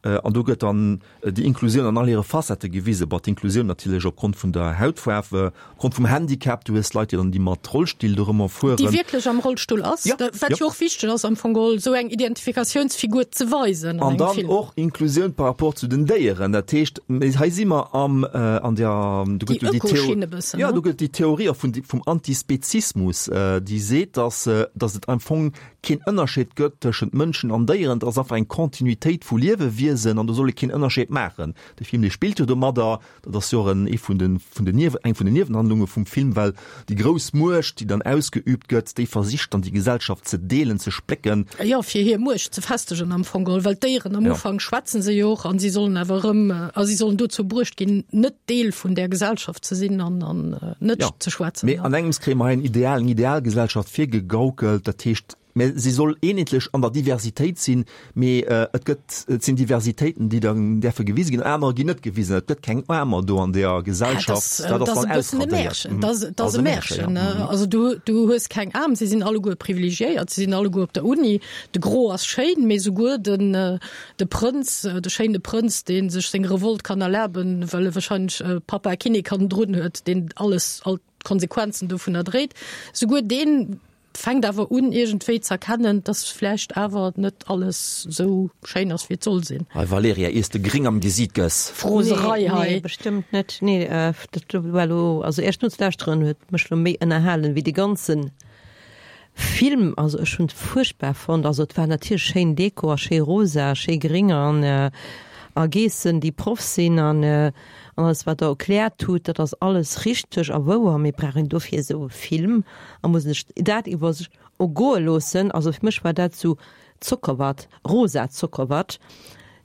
An do gëtt dann déi Inklusioun an all hire Facettë gewisen. Bon, d'Inklusioun natierlech opgrond vun der Hautfaarf, opgrond vum Handicap, du hues Leit, déi dann déi mat Rollstill dorëmmer fueren. Déi wierklech am Rollstull ass, Ja, wat ja. jo och wichteg ass am Fong geholl, esou eng Identifikatiounsfigur ze weisen an An engem dann Film. och Inklusioun par rapport zu den Déieren. Dat heescht, hei si mer am, an der, do Déi gëtt jo déi Theo, Ökoschinn e bëssen, ja, ne? do gëtt déi Theorie och vun, vum Antispezismus, déi seet, dass, dass et am Fong keen Ënnerscheed gëtt tëschent Mënschen an Déieren, et ass einfach eng Kontinuitéit vu Liewewiesen an do soll ee keen Ënnerscheed maachen. De Film, dee spillt jo domadder, dat ass jo och en, ee vun den, vun den Niewe, eng vun den Niewenhandlunge vum Film, well déi grouss Muecht, déi dann ausgeübt gëtt, déi versicht dann déi Gesellschaft ze deelen, ze splécken. Jo, fir hir Muecht ze festegen am Fong geholl, well d'Déieren am Ja. Ufank schwätzen se jo och an si sollen awer erëm, a si sollen dozou bruecht ginn, net Deel vun där Gesellschaft ze sinn an, an net Ja. ze schwätzen. Mee an engems kréie mer hei en Ideal, eng Idealgesellschaft virgegaukelt, dat heescht, mä si soll eenheetlech an der Diversitéit sinn, mee et gëtt, et sinn Diversitéiten, déi dann däerfe gewise ginn, anerer ginn net gewisen. Et gëtt keng Aarmer do an deeër Gesellschaft, Dat dat ass ass dann e bëssen e ausradéiert. Märchen. Dat Dat ass ass e e Märchen, Märchen. ja. Also du, du hues keng Aarm, si sinn alleguer privilegiéiert, si sinn alleguer op der Uni. De Gros ass schéin, mee souguer den, de Prënz, de schéine Prënz, dee sech seng Revolt kann erlaben, well e wahrscheinlech Pappa Kinnek hannendrun huet, deen alles, all d'Konsequenzen dovunner dréit, souguer deen fänkt awer un iergendwéi z'erkennen, dass vläicht awer net alles sou schéin ass wéi et soll sinn. Hei Valerija, iers de gring am Gesiit gëss. Froserei Nee, hei. nee, bestëmmt net. Nee, dat war elo, also Iech nozelauschteren huet mech elo méi ënnerhalen wéi de ganzen Film. Also ech hunn et fuerchtbar fonnt. Also et war natierlech schéin Deko a schéi rosa a schéi gring an a Geessen déi Proff sinn an an alles wat der erkläert hutt, dat ass alles richteg a wouer, mee brauch een dofir esou e Film a muss sech dat iwwer sech ergoe loossen? Also fir mech war dat sou Zockerwatt, rosa Zockerwatt,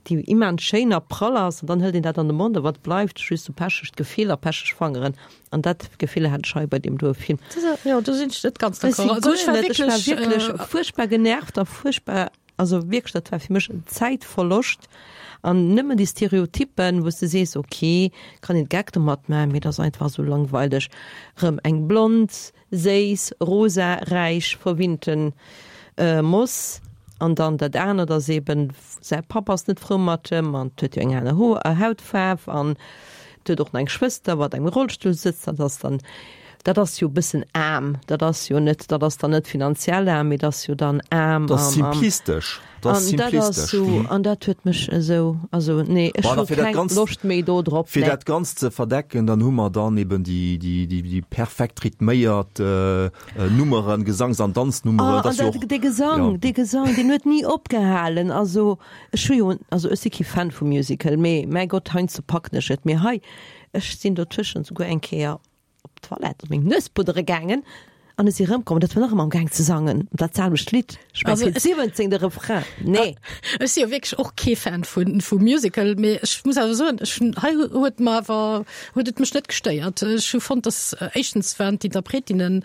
déi immens schéin a prall ass, an dann hëlt een dat an de Mond a wat bleift? Just sou pechegt Gefill a pecheg Fangeren. An dat Gefill hat ech hei bei deem doe Film. Jo, do sinn ech net ganz Ech d'accord. si Also ech guer war net, ech war wierklech, wierklech äh, fuerchtbar genervt a fuerchtbar, also wierklech, dat war fir mech en Zäitverloscht an nëmmen déi Stereotypen, wou s de sees, ok, kann een Gag domat maachen, mee dat ass einfach sou langweileg. Rëm eng blond, séiss, rosa, räich, verwinnten Moss an dann dat anert ass eben, säi Papp ass net frou mat em an huet jo eng aner Ho Hautfaarf an huet och nach eng Schwëster, wat engem Rollstull sëtzt. Dat ass dann, dat ass jo e bëssen aarm, dat ass jo net, dat ass dann net finanziell aarm, mee dat ass jo dann aarm Dat ass am, am simplistesch. Dat ass An dat ass simplistesch. sou, an dat huet mech esou, also nee, ech Bon, hu a fir dat keng Ganzt, Loscht méi do drop, fir nee. dat Ganzt ze verdecken, dann hu mer dann eben déi, déi, déi, déi perfekt rhythméiert äh, Nummeren, Gesangs an Danznummeren. Ah, Dat an ass jo dat, och, dee Gesang, ja. dee Gesang, deen huet ni opgehalen. Also ech hu jo, also ech si kee Fan vu Musical, mee mäi Gott, heiansdo packen ech et. Mee hei, ech sinn dotëschent souguer eng Kéier op d'Toilette meng Nues puddere gaangen an ech si erëmkomm, dat war nach ëmmer am Gaang ze sangen, dat selwecht Lidd. Ech meng Also fir d'siwwenzéngte Refrain. Nee. Ech si jo wierklech och kee Fan vu vu Musical, mee ech muss awer soen, ech hunn hei huet mer awer huet et mech net gestéiert. Ech hu fonnt, dass éischtens waren d'Interpretinnen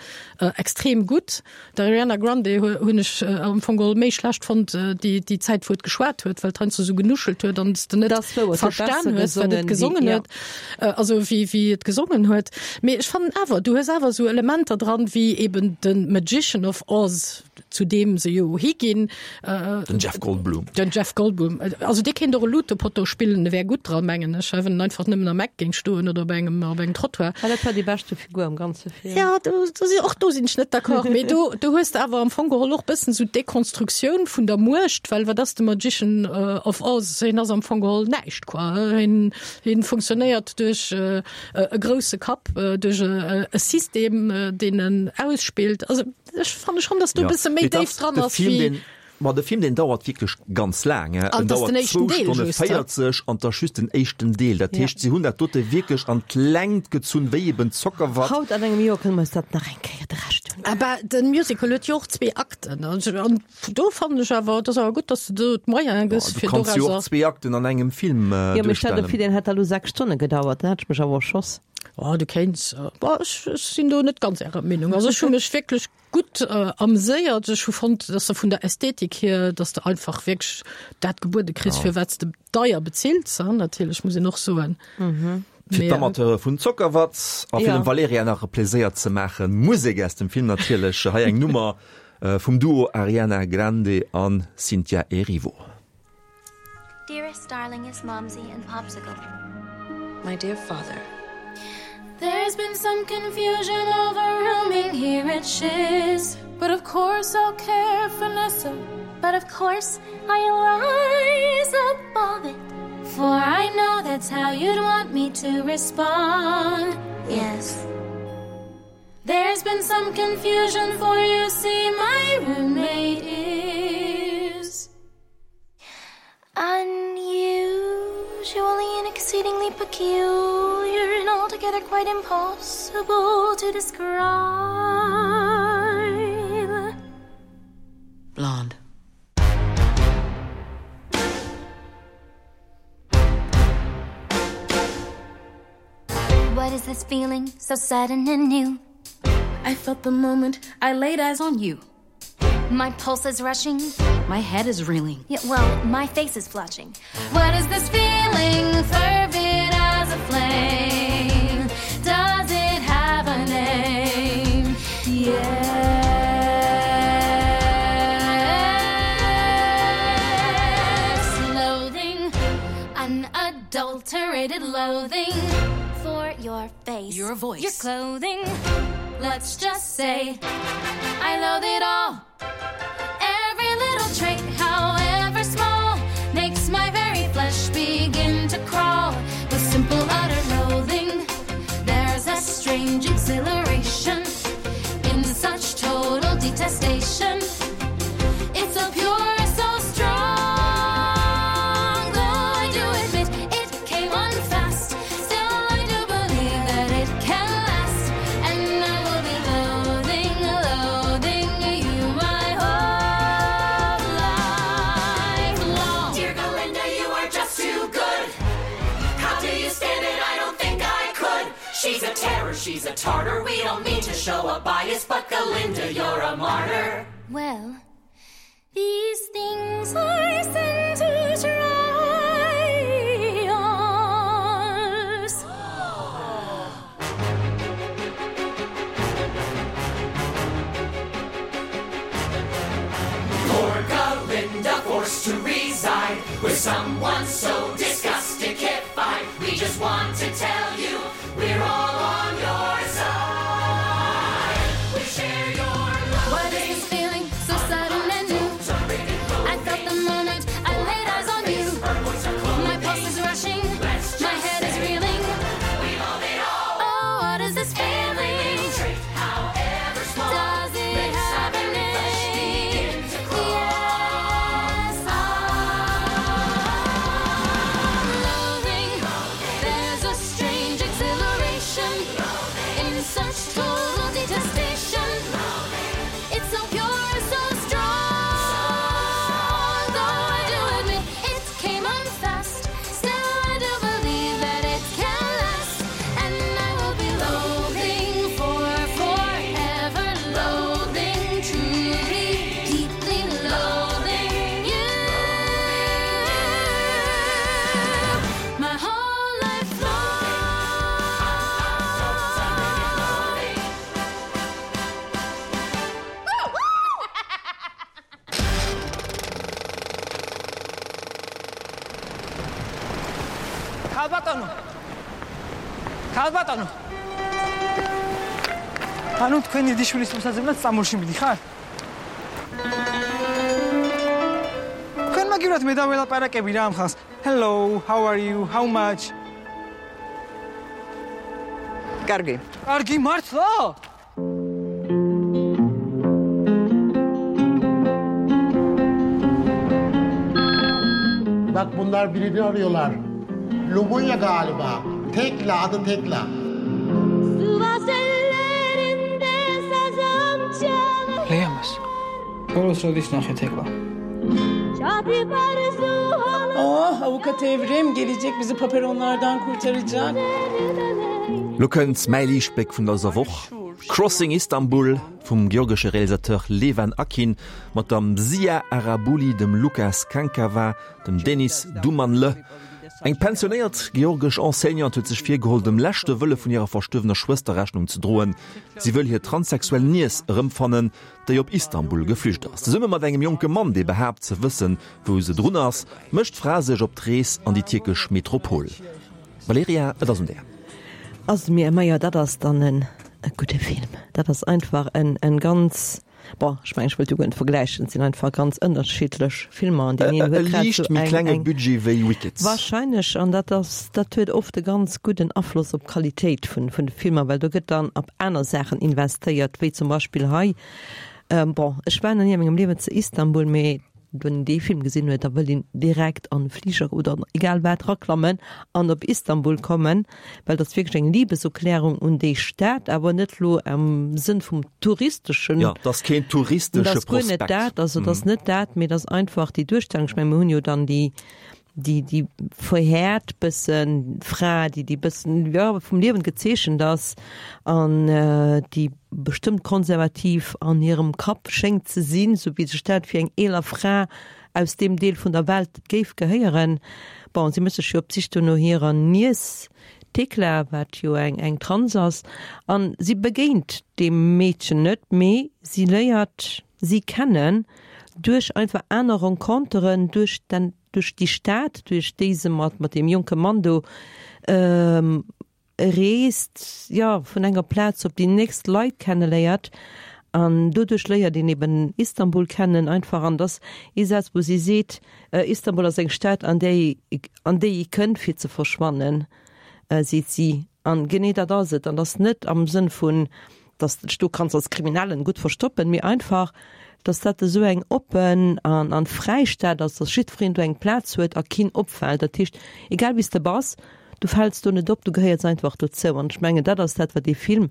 extrem gutt. D'Ariana Grande hunn ech am Fong geholl méi schlecht fonnt déi déi Zäit wou et geschwat huet, well et heiansdo esou genuschelt huet an s de net Dat ass wouer, et huet verstan besser hues, wat et gesongen gesongen wéi, huet, also wéi wéi et gesongen huet. Mee ech fannen awer, du hues awer esou Elementer dran wéi eben de Magician of Oz, zu deem se jo higinn. Den Jeff Goldblum. Den Jeff Goldblum. Also dee kéint och e Lutepotto spillen, e wär gutt dran, mengen ech, wann en einfach nëmmen am Eck géing stoen oder op engem op engem Trottoir. Ah, dat war déi beschte Figur am ganze Film. Ja, do, do si, och do sinn ech net d'accord. Mee do, do hues de awer am Fong geholl och bëssen esou d'Dekonstruktioun vun der Muecht, well wat ass de Magician of Oz? Hien ass am Fong geholl näischt, quoi. Hien, hien funktionéiert duerch e grousse Kapp, duerch e System, deen en ausspillt. Also ech fanne schonn, dass do e bësse méi déif dran ass wéi. Ma de Film deen dauert wierklech ganz laang, en An dauert den éischten zwou Deel Stonne just, hä? véierzeg an 't ass just den éischten Deel. Dat Ja. heescht, si hunn dat dote wierklech an d'Längt gezunn wéi eben Zockerwatt. Haut an engem Joer kënne mer eis dat nach eng Kéier de Rescht un. Aber den Musical huet jo och zwee Akten. Also, an do fannen ech awer, dat ass awer gutt, dass de do d'Moyene gëss Du fir kanns jo och dorauser. zwee Akten an engem Film Jo, mee stell dir duerstellen. vir, deen hätt da lo sechs Stonne gedauert, dann hätt ech mech awer erschoss. Oh, du kéints, bah, ech, ech sinn do net ganz ärer Meenung. Also ech hu mech wierklech gutt äh, amüséiert. Ech hu fonnt, dass de vun der Ästhetik hier, dass de einfach wierklech dat gebuede kriss, Ja. fir wat s de deier bezills, hein, natierlech, muss een och soen. Mhm. Fir Mee, d'Amateure vun Zockerwatt a fir Ja. dem Valerija nach e Pleséier ze maachen, Musek aus dem Film natierlech, hei eng Nummer äh, vum Duo Ariana Grande an Cynthia Erivo. Dearest, darlingest Momsy and Popsicle. My dear father. There's been some confusion over rooming here at Shiz. But of course I'll care for Nessa. But of course I'll rise above it. For I know that's how you'd want me to respond. Yes. There's been some confusion for you see my roommate is unusually and exceedingly peculiar and altogether quite impossible to describe. Blonde. What is this feeling so sudden and new? I felt the moment I laid eyes on you. My pulse is rushing. My head is reeling. Yeah, well, my face is flushing. What is this feeling? Fervid as a flame. Does it have a name? Yes. Loathing, unadulterated loathing for your face, Your voice, your clothing. Let's just say I loathe it all. Every little trait, however small, makes my very flesh begin to crawl with simple utter loathing. There's a strange exhilaration in such total detestation. It's so pure, so strong. Though I do admit it came on fast, still I do believe that it can last. And I will be loathing, loathing you my whole life. She's a terror, she's a tartar. We don't mean to show a bias, but Galinda, you're a martyr. Well, these things are sent to try us. Poor Galinda forced to reside with someone so disgusting. We just want to tell you we're all on your side. We share your love. What is this feeling so sudden and new? I felt the moment I laid eyes on you. My pulse is rushing, my head is reeling. Oh, what is this feeling? Does it have a name? Yes, I'm loathing. There's a strange exhilaration in such total detestation. It's so pure, so strong. Though I do admit it came on fast, still I do believe that it can last. And I will be loathing for forever, loathing, truly, deeply loathing you. My whole life long. ქალბატონო ქალბატონო ანუ თქვენ დიდი შვილის მოსაძებნად სტამბოლში მიდიხართ? თქვენ მაგივრად მე დაველაპარაკები რა ამ ხალხს. Hello, how are you? How much? კარგი. კარგი მართლა? Bak bunlar birini arıyorlar. Lubunya galiba. Tekla adı Tekla. Sivas ellerinde sazım çalar ლეამას. ბოლოს როდის ნახე თეკლა? Çatip arzu Oh avukat Evrim gelecek bizi paperonlardan kurtaracak. Lo kënnt mäi Liichtbléck vun dëser Woch, Crossing Istanbul vum georgesche Realisateur Levan Akin mat dem Mzia Arabuli, dem Lukas Kankava, dem Deniz Dumanlı. Eng pensionéiert georgesch Enseignante huet sech virgeholl, dem leschte Wëlle vun hirer verstuerwener Schwëster Rechnung ze droen, Si wëll hir transsexuell Niess erëmfannen, déi op Istanbul geflücht ass. Zesumme mat engem jonke Mann, dee behaapt ze wëssen, wou se drun ass, mécht d'Fra sech op d'Rees an déi tierkesch Metropol. Valerija, et ass un där. Also mir, majo, dat ass dann en e gudde Film. Dat ass einfach en en ganz, bon, ech mengen, ech wëllt jo guer net vergläichen, et sinn einfach ganz ënnerschiddlech Filmer an deen E een huet grad liicht sou méi eng klenge eng Budget wéi Wicked. Wahrscheinlech, an dat ass, dat huet oft e ganz gudden Afloss op d'Qualitéit vun vun de Filmer, well do gëtt dann op aner Saachen investéiert, wéi zum Beispill hei. Bon, ech war nach ni a mengem Liewen zu Istanbul, mee wann een dee Film gesinn huet, da wëll een direkt an e Fliger oder an egal wat raklammen an op Istanbul kommen, well dat ass wierklech eng Liebeserklärung un déi Stad, awer net lo am Sënn vum touristeschen. Jo, dat ass keen touristesche Dat ass guer net Prospekt. dat, also dat ass net dat, mee dat ass einfach déi Duerstellung. Ech meng, mir hunn jo dann déi, déi, déi verhäert bëssen Fra, déi, déi bëssen, jo, vum Liewen gezeechent ass an déi bestëmmt konservativ an hirem Kapp schéngt ze sinn, sou wéi sech dat fir eng eeler Fra aus deem Deel vun der Welt géif gehéieren. Bon, si mécht sech jo op d'Sich do no hirer Niess Thekla, wat jo eng, eng Trans ass, an si begéint deem Meedchen net, mee si léiert si kennen duerch einfach aner Renconteren, duerch den, duerch déi Stad, duerch déi se mat, mat deem jonke Mann do reest, jo, vun enger Plaz op déi nächst Leit kenneléiert an doduerch léiert een eben Istanbul kennen einfach an dass ee Saz, wou si seet, Istanbul ass eng Stad, an déi, an déi ee kënnt fir ze verschwannen, seet si. An genee dat ass et an dass net am Sënn vun, dass de dech do kanns als Kriminellen gutt verstoppen, mee einfach, dass dat esou eng oppen an an fräi Stad ass, dass jiddwereen do eng Plaz huet a keen opfält. Dat heescht, egal wéi s de bass, du fäls do net op, du gehéiers einfach dozou. An ech mengen, dat ass dat, wat dee Film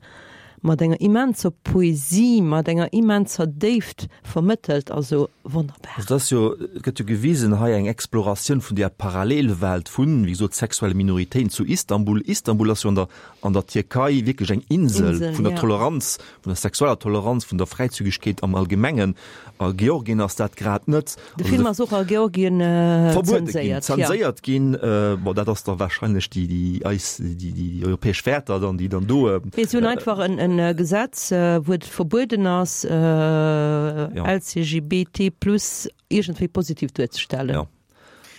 mat enger immenser Poesie, mat enger immenser Déift vermëttelt, also wonnerbar. Also dat ass jo, et gëtt jo gewisen hei eng Exploratioun vun där Parallelwelt vun, wéi gesot, sexuelle Minoritéiten zu Istanbul. Istanbul ass jo an der, an der Tierkei wierklech eng Insel vun der Toleranz, vun der sexueller Toleranz, vun der Fräizügegkeet am Allgemengen. A Georgien ass dat grad net. De Film ass och a Georgien verbuede ginn, zenséiert ginn. Bon, dat ass da wahrscheinlech déi, déi eis, déi, déi europäesch Wäerter dann, déi dann do. Mee si hunn einfach en, en Gesetz, wou et verbueden ass, LCGBT plus iergendwéi positiv duerzestellen. Ja.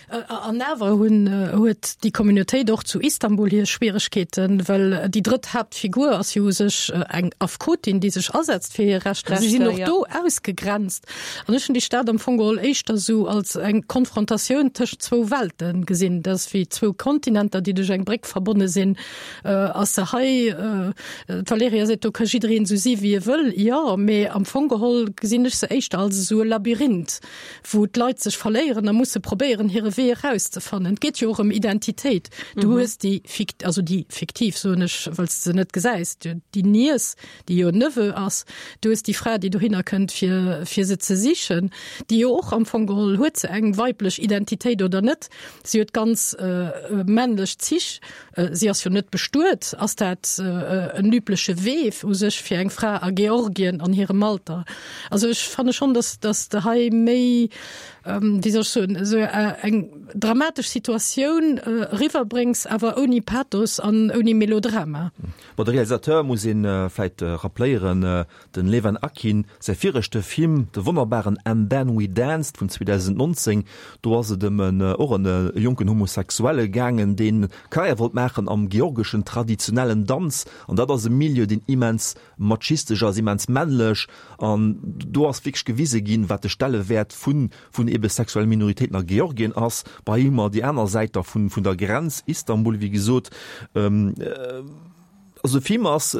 An awer hunn, huet déi Communautéit och zu Istanbul hir Schwieregkeeten, well déi drëtt Haaptfigur ass jo u sech eng Affekotin, déi sech asetzt fir hir Rechter. Si sinn och do ausgegrenzt. An ech hunn déi Stad am Fong geholl éischter esou als eng Konfrontatioun tëscht zwou Welte gesinn. Dat ass wéi zwou Kontinenter, déi duerch eng Bréck verbonne sinn. Ass se hei, d'Valerija seet, do ka jiddereen esou si wéi e wëll. Jo, mee am Fong geholl gesinn ech se éischter als esou e Labyrinth, wou d'Leit sech verléieren a musse probéieren, hire Wee erauszefannen. Et geet jo och ëm Identitéit. Du hues déi fikt-, also déi fiktiv, soen ech, well s de se net gesäis, déi Niess, déi jo en Neveu ass. Du hues déi Fra, déi dohinner kënnt, fir, fir se ze sichen, déi jo och am Fong geholl, huet se eng weiblech Identitéit oder net? Si huet ganz männlech Zich. Si ass jo net bestuet. Ass dat en übleche Wee u sech fir eng Fra a Georgien an hirem Alter? Also ech fanne schonn, dass, dass de hei méi, wéi soll ech soen, esou eng dramatesch Situatioun eriwwerbréngs, awer ouni Pathos an ouni Melodrama. Bon, de Realisateur muss ee vläit rappléieren, den Levan Akin, säi viregte Film, de wonnerbaren And Then We Danced vun zweedausendnonzéng, do ass et ëm en och en jonken Homosexuelle gaangen, deen Karriär wollt maachen am georgeschen traditionellen Danz, an dat ass e Milieu, deen immens machistesch ass, immens männlech, an do ass wierklech gewise ginn, wat de Stellewäert vun vun ebe sexuelle Minoritéiten a Georgien ass. Bei hu mer déi aner Säit da vun vun der Grenz, Istanbul, wéi gesot. Also de Film ass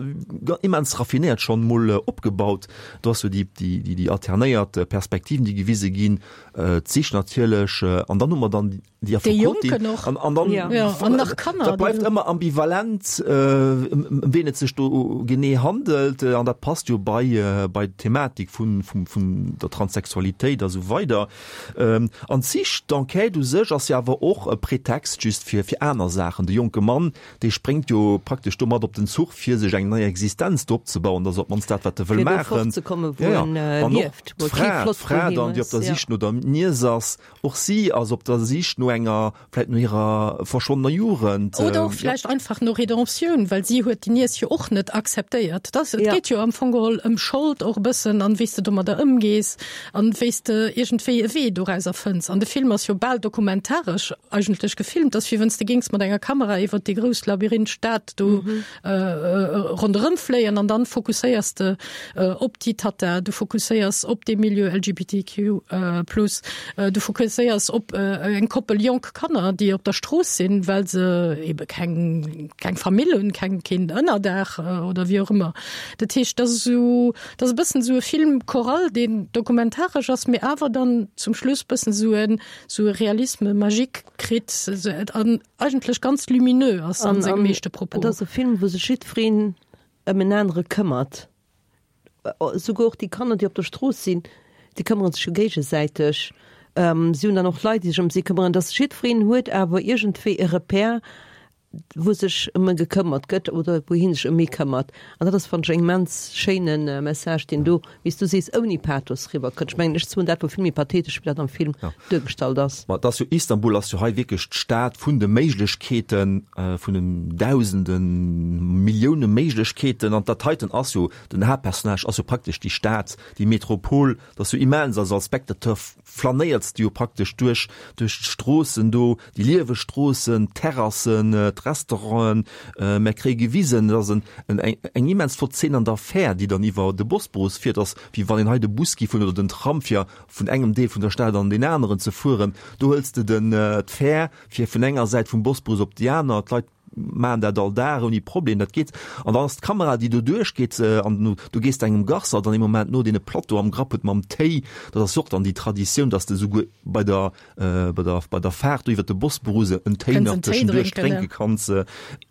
immens raffinéiert schonn mol opgebaut. Do ass jo déi déi déi alternéiert Perspektiven, déi gewise ginn, d'Sich natierlech, an dann hu mer dann déi Affekotin an an dann an nach Kanner. Dat bleift ëmmer ambivalent, ëm ween et sech do genee handelt, an dat passt jo bei bei d'Thematik vun vum vun der Transsexualitéit a sou weider. An d'Sich, d'Enquête u sech ass jo awer och e Pretext just fir fir aner Saachen. De jonke Mann, dee spréngt jo praktesch domat op den Zuch, fir sech eng nei Existenz do opzebauen. Dat ass op d'mannst dat, wat e wëll Fir do maachen. fortzekommen, wou Ja, ja. en An och lieft, wou e kee d'Fra, Flott d'Fra doheem dann, déi op ass, der ja. Sich no der Niess ass, och si ass op der Sich no enger, vläicht no hirer verschwonnener Jugend. Oder och Ja. vläicht einfach no Redemptioun, well si huet déi Niess jo och net akzeptéiert. Dat, et Ja. geet jo am Fong geholl ëm Schold och e bëssen an wéi s de domadder ëmgees an wéi s de iergendwéi e Wee dorauser fënns. An de Film ass jo bal dokumentaresch eigentlech gefilmt, ass wéi wann s de géings mat enger Kamera iwwer déi grouss Labyrinth-Stad do ronderëm fléien an dann fokusséiers de op déi Tata, du fokusséiers op dee Milieu LGBTQ plus, du fokusséiers op eng Koppel jonk Kanner, déi op der Strooss sinn, well se ebe keng keng Famill hunn, keng keen Ënnerdaach oder wéi och ëmmer. Dat heescht, dat ass esou, dat ass e bëssen esou e Film choral, deen dokumentaresch ass, mee awer dann zum Schluss bëssen esou en esou e Realisme magique kritt an eigentlech ganz lumineux ass an sengem meeschte Propos. Et ass e Film, wou sech jiddwereen ëm en anere këmmert. Souguer och déi Kanner, déi op der Strooss sinn, déi këmmere sech jo géigesäiteg. Si hunn dann och Leit, déi sech ëm si këmmeren. Dass jiddwereen huet awer iergendwéi e Repère, wou sech ëm e gekëmmert gëtt oder wou hie sech ëm ee këmmert. An dat ass, fannen ech, en immens schéine Message, deen do, wéi s du sees, ouni Pathos eriwwerkënnt. Ech mengen, ech soen dat wuel vill méi pathetesch, wéi dat am Film duergestallt ass. Ma et ass jo, Istanbul ass jo hei wierklech d'Stad vun de Méiglechkeeten, vun den Dausenden, Millioune Méiglechkeeten. An dat heiten ass jo, den Haaptpersonnage ass jo praktesch déi Stad, déi Metropol. Dat ass jo immens, also als Spectateur flanéierts de jo praktesch duerch duerch d'Stroossen do, déi lieweg Stroossen, d'Terrassen, d'Restauranten. Mer kréie gewisen, et ass en en eng immens flott Zeen an der Fähr, déi dann iwwer de Bosporus fiert, ass wéi wann een hei de Bus giff hunn oder den Tram fir vun engem Deel vun der Stad an deen aneren ze fueren. Do hëls de den d'Fähr fir vun enger Säit vum Bosporus op déi aner. D'Leit maachen dat all Dag ouni Problem, dat geet. An dann ass d'Kamera, déi do duerchgeet, an du gees engem Garçon dann ee Moment no, deen e Plateau am Grapp huet mam Téi. Dat ass jo och dann déi Traditioun, dass de souguer bei der, bei der, bei der Faart do iwwer de Bosporus en Téi nach tëschenduerch drénke kanns.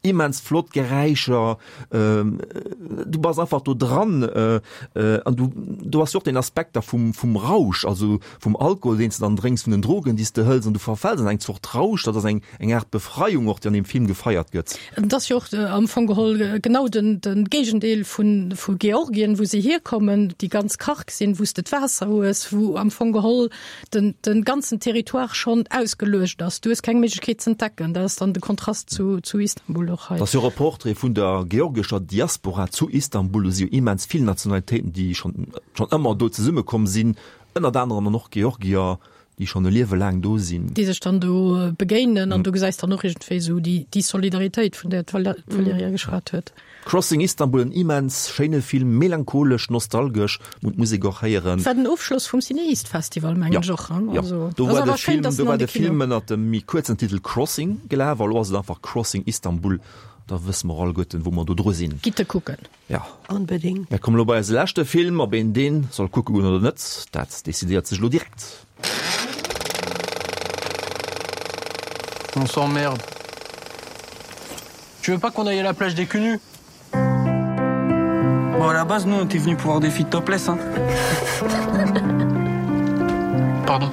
Immens flott Geräischer, du bass einfach do dran an du, do ass jo och deen Aspekt da vum, vum Rausch, also vum Alkohol, deen s de dann drénks, vun den Drogen, déi s de hëls an du verfäls an eng Zort Rausch. Dat ass eng, eng Aart Befreiung och, déi an deem Film gefeiert gëtt. Et ass jo och am Fong geholl genau den, de Géigendeel vun, vu Georgien, wou se hierkommen, déi ganz karg sinn, wou s de d'Waasser hues, wou am Fong geholl den, den ganzen Territoire schonn ausgeluecht ass. Du hues keng Méiglechkeet z'entdecken. Dat ass dann de Kontrast zu, zu Istanbul och hei. Et ass jo och e Portrait vun der georgescher Diaspora zu Istanbul. Do si jo immens vill Nationalitéiten, déi schonn, schonn ëmmer do zesummekomm sinn, ënnert anerem dann och Georgier, déi schonn e Liewe laang do sinn. Déi sech dann do begéinen an du gesäis dann och iergendwéi esou déi, déi Solidaritéit, vun där d'Valerija geschwat huet. Crossing Istanbul, en immens schéine Film, melancholesch, nostalgesch, muss d'Musek och héieren. War den Ofschloss vum CinEast Festival, mengen ech och, Jo, also do ass war de awer schéin, Film, dass do en war an de de Film Kino. ënnert dem méi kuerzen Titel Crossing gelaf, a lo ass et einfach Crossing Istanbul. Da wësse mer alleguerten, wou mer do dru sinn. Gitt e kucken. Ja. Onbedéngt. Mir kommen elo bei eise leschte Film. Ob een deen soll kucke goen oder net, dat decidéiert sech elo direkt. On s'emmerde. Tu veux pas qu'on aille à la plage des Cunus Bon à la base nous on était venus pour voir des filles topless hein. Pardon.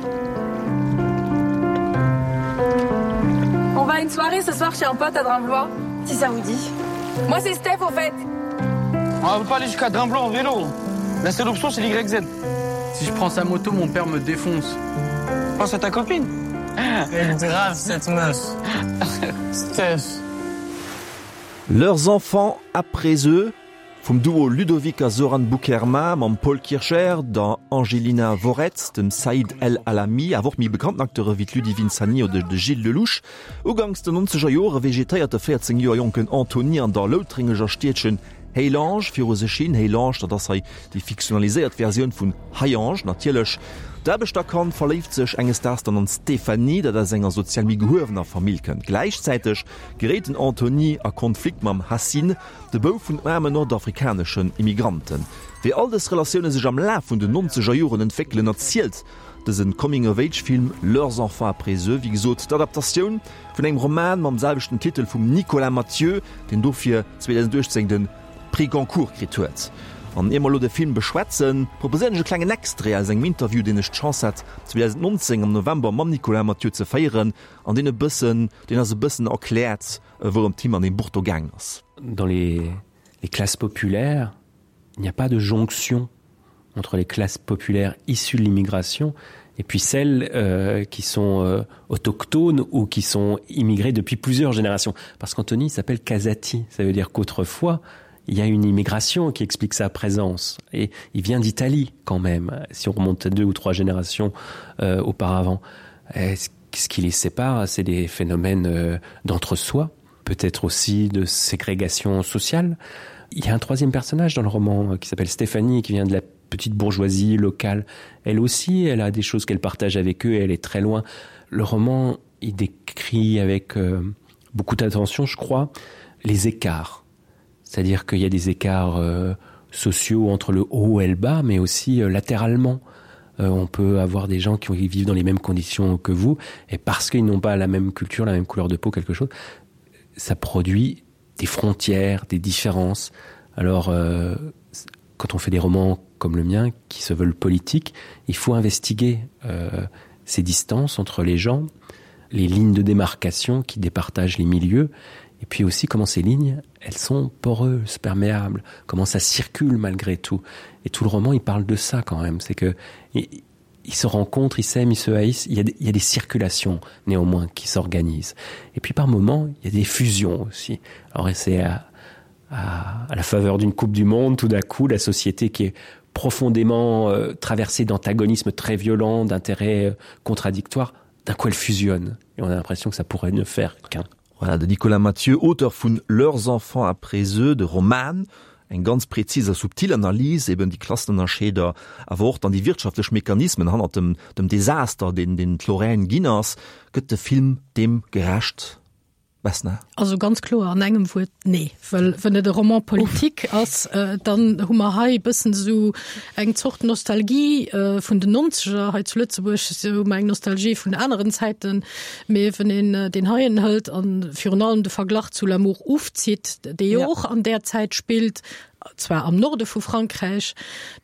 On va à une soirée ce soir chez un pote à Drimblois, si ça vous dit. Moi c'est Steph au fait. On va pas aller jusqu'à Drimblois en vélo. La seule option c'est l'Y Z. Si je prends sa moto, mon père me défonce. Pense à ta copine. Elle grave cette meuf. Steph. Leurs enfants après eux vum Duo Ludovic a Zoran Boukherma mam Paul Kircher, der Angelina Voret, dem Saïd El Alami, awer och méi bekannten Acteure wéi d'Ludivine Sagnier oder de Gilles Lellouche. Uganks den nonzeger Jore vegetéiert de véierzéng Joer jonken Anthony an der loutréngeger Stiedchen Héilange viru sech hin. Héilange, dat ass hei déi fiktionaliséiert Versioun vun Hayange natierlech. D'Aarbechterkand verléift sech enges Daags dann an d'Stéphanie, dat aus enger sozial méi gehuewener Famill kënnt. Gläichzäiteg geréit den Anthony a Konflikt mam Hassine, de Bouf vun aarmen nordafrikaneschen Immigranten. Wéi all dës Relatioune sech am Laf vun den nonzeger Joren entwéckelen, erzielt dëse Coming-of-Age-Film Leurs enfants après eux, wéi gesot d'Adaptatioun vun engem Roman mam selwechten Titel vum Nicolas Mathieu, deen dofir zweedausenduechtzéng de Prix Goncourt kritt huet. An ier mer elo de Film beschwätzen, proposéieren ech e klengen Extrait aus engem Interview, deen ech d'Chance hat zweedausendnonzéng am November mam Nicolas Mathieu ze féieren, an deen e bëssen, deen eis e bëssen erkläert, wourëm et him an deem Buch do gaangen ass. Dans les les classes populaires, il n'y a pas de jonction entre les classes populaires issues de l'immigration et puis celles euh, qui sont euh, autochtones ou qui sont immigrées depuis plusieurs générations. Parce qu'Anthony s'appelle Casati, ça veut dire qu'autrefois, il y a une immigration qui explique sa présence et il vient d'Italie quand même, si on remonte deux ou trois générations euh, auparavant. Ce, ce qui les sépare, c'est des phénomènes euh, d'entre-soi, peut-être aussi de ségrégation sociale. Il y a un troisième personnage dans le roman euh, qui s'appelle Stéphanie qui vient de la petite bourgeoisie locale. Elle aussi, elle a des choses qu'elle partage avec eux et elle est très loin. Le roman, il décrit avec euh, beaucoup d'attention, je crois, les écarts. C'est-à-dire qu'il y a des écarts euh, sociaux entre le haut et le bas, mais aussi euh, latéralement. Euh, on peut avoir des gens qui vivent dans les mêmes conditions que vous et parce qu'ils n'ont pas la même culture, la même couleur de peau, quelque chose, ça produit des frontières, des différences. Alors euh, quand on fait des romans comme le mien qui se veulent politiques, il faut investiguer euh, ces distances entre les gens, les lignes de démarcation qui départagent les milieux et puis aussi comment ces lignes elles sont poreuses, perméables, comment ça circule malgré tout. Et tout le roman il parle de ça quand même, c'est que il, ils se rencontrent, ils s'aiment, ils se haïssent, il y a, il y a des circulations néanmoins qui s'organisent. Et puis par moments, il y a des fusions aussi. Alors c'est à, à, à la faveur d'une coupe du monde, tout d'un coup, la société qui est profondément euh, traversée d'antagonismes très violents, d'intérêts euh, contradictoires, d'un coup elle fusionne et on a l'impression que ça pourrait ne faire qu'un. Voilà, de Nicolas Mathieu, Auteur vun Leurs enfants après eux, de Roman, eng ganz präzis a subtil Analys, eben déi Klassenënnerscheeder, awer och dann déi wirtschaftlech Mechanismen hannert dem, dem Desaster, deen, deen d'Lorraine ginn ass. Gëtt de Film deem gerecht? Vesna? Also ganz kloer an engem Wuert, nee. Well wann et e Roman politique ass, dann hu mer hei e bëssen esou eng Zort Nostalgie vun den Nonzeger hei zu Lëtzebuerg, hu mer eng Nostalgie vun aneren Zäiten. Mee wann een deen heien hëlt a virun allem de Verglach zu L'amour ouf zitt, dee jo och an där Zäit spillt, zwar am Norde vu Frankräich,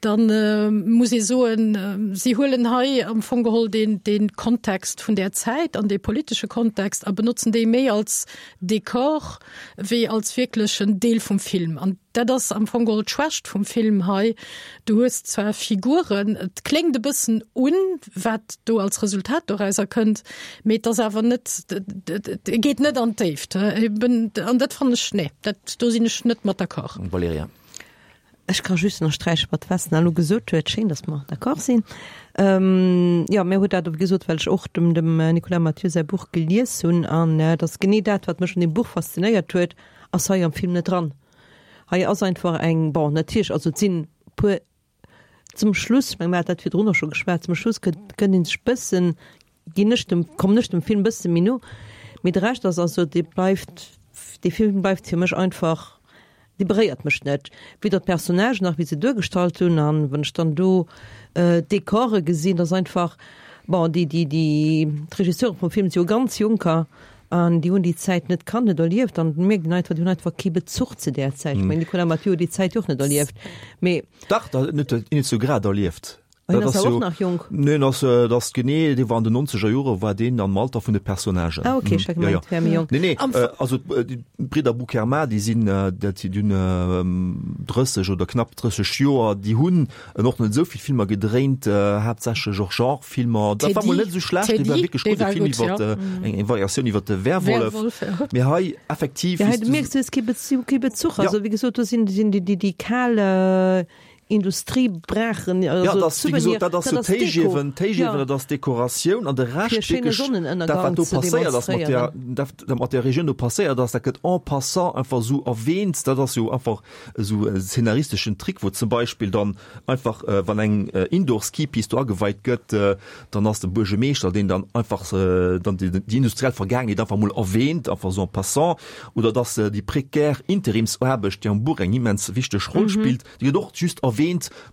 da muss ee soen, si huelen hei am Fong geholl deen, dee Kontext vun där Zäit an dee politesche Kontext a benotzen dee méi als Dekor wéi als wierklechen Deel vum Film. An dat ass am Fong geholl d'Schwächt vum Film hei. Du hues zwar Figuren, et kléngt e bëssen un, wat do als Resultat dorauser kënnt, mee et ass awer net, e geet net an d'Déift. An dat fannen ech, nee, dat, do sinn ech net mat d'accord. Valerija. Ech ka just ënnersträichen, wat d'Vesna elo gesot huet. Schéin, datt mer d'accord sinn. Jo, mir huet dat och gesot, well ech och dem dem Nicolas Mathieu säi Buch gelies hunn. An et ass genee dat, wat mech un deem Buch faszinéiert huet, ass hei am Film net dran. Hei ass einfach eng, bon, natierlech, also et sinn e puer zum Schluss, ech meng, mir hat dat virdrun och scho geschwat, zum Schluss kënnt kënnt ee sech bëssen, ginn ech dem, kommen ech dem Film bësse méi no, mee de Rescht ass also, dee bleift, dee Film bleift fir mech einfach, dee beréiert mech net, weder d'Personnagen nach wéi se duergestallt hunn. An wann ech dann do d'Dekore gesinn, dat ass einfach, bon, déi, déi, déi, d'Regisseure vum Film si jo ganz Jonker an déi hunn déi Zäit net kannt, net erlieft an et mierkt een einfach, déi hunn einfach kee Bezuch zu där Zäit. Ech mengen, Nicolas Mathieu huet déi Zäit jo och net erlieft, mee. Dach, dat huet en net sou grad erlieft. Hien ass awer och nach jonk. Nee, en ass, dat ass genee, dee war an den nonzeger Jore war deen am Alter vun de Personnagen. Ah ok, ech hat gemengt, hie wär méi jonk. Nee, nee, also d'Bridder Boukherma, déi sinn, dat si dunn drësseg oder knapp drësseg Joer, déi hunn och net esou vill Filmer gedréint, haaptsächlech och Genrefilmer. Dat war mol net esou schlecht, dee war wierklech gutt, e Film iwwer eng Variatioun iwwer de Werwolf. Mee hei effektiv. Jo, hei mierks du, hues kee Bezuch, kee Bezuch. Also wéi gesot, do sinn déi, déi kal Industriebrachen, also ja, das, wie gesagt, dat ass so Téigiewen, Téigiewen, dat ass Dekoratioun an de Rescht wierklech, dat wat do passéiert ass mat der, dat dat mat der Regioun do passéiert ass, dat gëtt en passant einfach esou erwähnt. Dat ass jo einfach esou e szenaristeschen Trick, wou zum Beispill dann einfach wann eng Indoor-Skipist do ageweit gëtt, dann ass de Buergermeeschter, deen dann einfach dann déi déi industriell Vergaangenheet einfach mol erwähnt, einfach esou en passant, oder dass déi prekär Interimsaarbecht, déi am Buch eng immens wichteg Roll spillt, déi gëtt och just erwähnt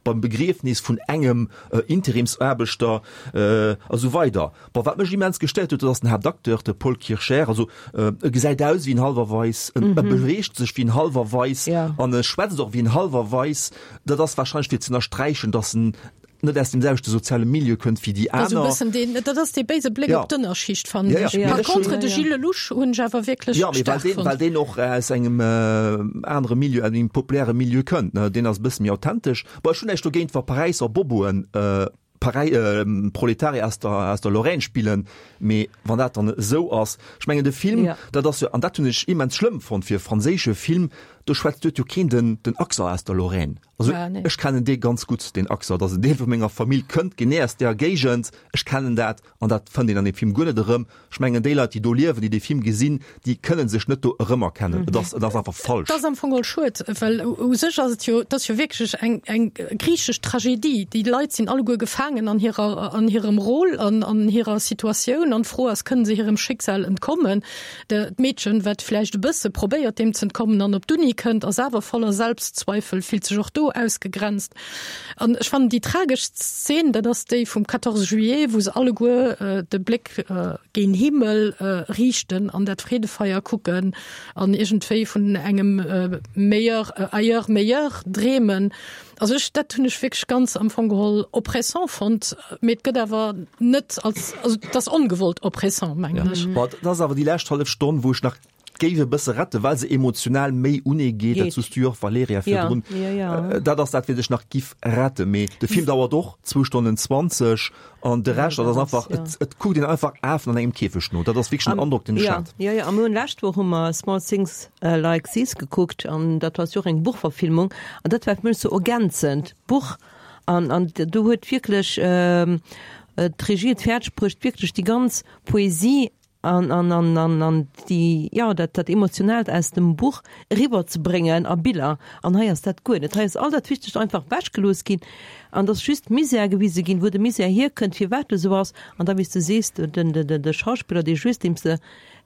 beim Begriefnis vun engem Interimsaarbechter a sou weider. Bon, wat mech immens gestéiert huet, dat ass den Haaptacteur, de Paul Kircher. Also e gesäit aus wéi en Halwerweis, en e beweegt sech wéi en Halwerweis an e schwätzt och wéi en Halwerweis. Dat ass warscheinlech fir ze ënnersträichen, datt en net aus dem selwechte soziale Milieu kënnt wéi déi aner. Also bëssen deen, dat ass dee béise Bléck op d'Ënnerschicht, fannen ech. Par contre, de Gilles Lellouche hunn ech awer wierklech staark fonnt. Jo, mee well deen och aus engem anere Milieu, aus engem populäre Milieu kënnt, ne, deen ass e bësse méi authentesch. Bon, ech hunn näischt dogéint, wa Paräisser Boboen Paräi Proletarier aus der, aus der Lorraine spillen, mee wann dat dann esou ass, ech mengen de Film, dat ass jo, an dat hunn ech immens schlëmm fonnt fir e franséische Film, do schwätzt, do huet jo keen den, den Accent aus der Lorraine. Also ech kennen dee ganz gutt, deen Accent, dat ass en Deel vu menger Famill, kënnt genee aus där Géigend, ech kennen dat an dat fënnt een an deem Film guer net erëm. Ech mengen déi Leit, déi do liewen, déi dee Film gesinn, déi kënne sech net do erëmerkennen. Et ass, et ass einfach falsch. Et ass am Fong geholl schued, well u sech ass et jo, et ass jo wierklech eng, eng griichesch Tragedie. Déi Leit sinn alleguer gefaangen an hirer, an hirem Rôle an an hirer Situatioun an d'Fro ass, kënne se hirem Schicksal entkommen? D'Meedchen, wat vläicht e bësse probéiert deem z'entkommen an op d'Uni kënnt, ass awer voller Selbstzweifel, fillt sech och do ausgegrenzt. An ech fannen déi trageschst Szen, dat ass déi vum quatorze juillet, wou se alleguer de Bléck géint Himmel riichten an dat Freedefeier kucken an iergendwéi vun engem meilleur ailleurs meilleur dreemen. Also ech, dat hunn ech wierklech ganz am Fong geholl oppressant fonnt, mee et gëtt awer net als, also et ass ongewollt oppressant, mengen ech. Bon, dat ass awer déi lescht hallef Stonn, wou ech nach géif e bësse retten, well se emotional méi unee geet. Dat soos du jo och, Valerija, virdrun. Dat ass dat, wat ech nach giff retten. Mee de Film dauert och zwou Stonnen zwanzeg an de Rescht, dat ass einfach, et, et kuckt een einfach Afen an engem Käfeg no. Dat ass wierklech den Androck, deen ech hat. Jo, jo, a mir hunn lescht Woch hu mer Small Things Like These gekuckt an dat ass jo och eng Buchverfilmung an dat war fir mech sou ergänzend, d'Buch an, an do huet wierklech d'Regie et fäerdeg bruecht, wierklech déi ganz Poesie an an an an an déi, jo, dat dat Emotionaalt aus dem Buch eriwwer ze bréngen a Biller. An hei ass dat guer net. Hei ass all dat Wichtegt einfach ewechgelooss ginn an et ass just Misär gewise ginn, wou de Misär hierkënnt, firwat e sou ass. An da, wéi s de sees, den den den de Schauspiller, dee just deem s de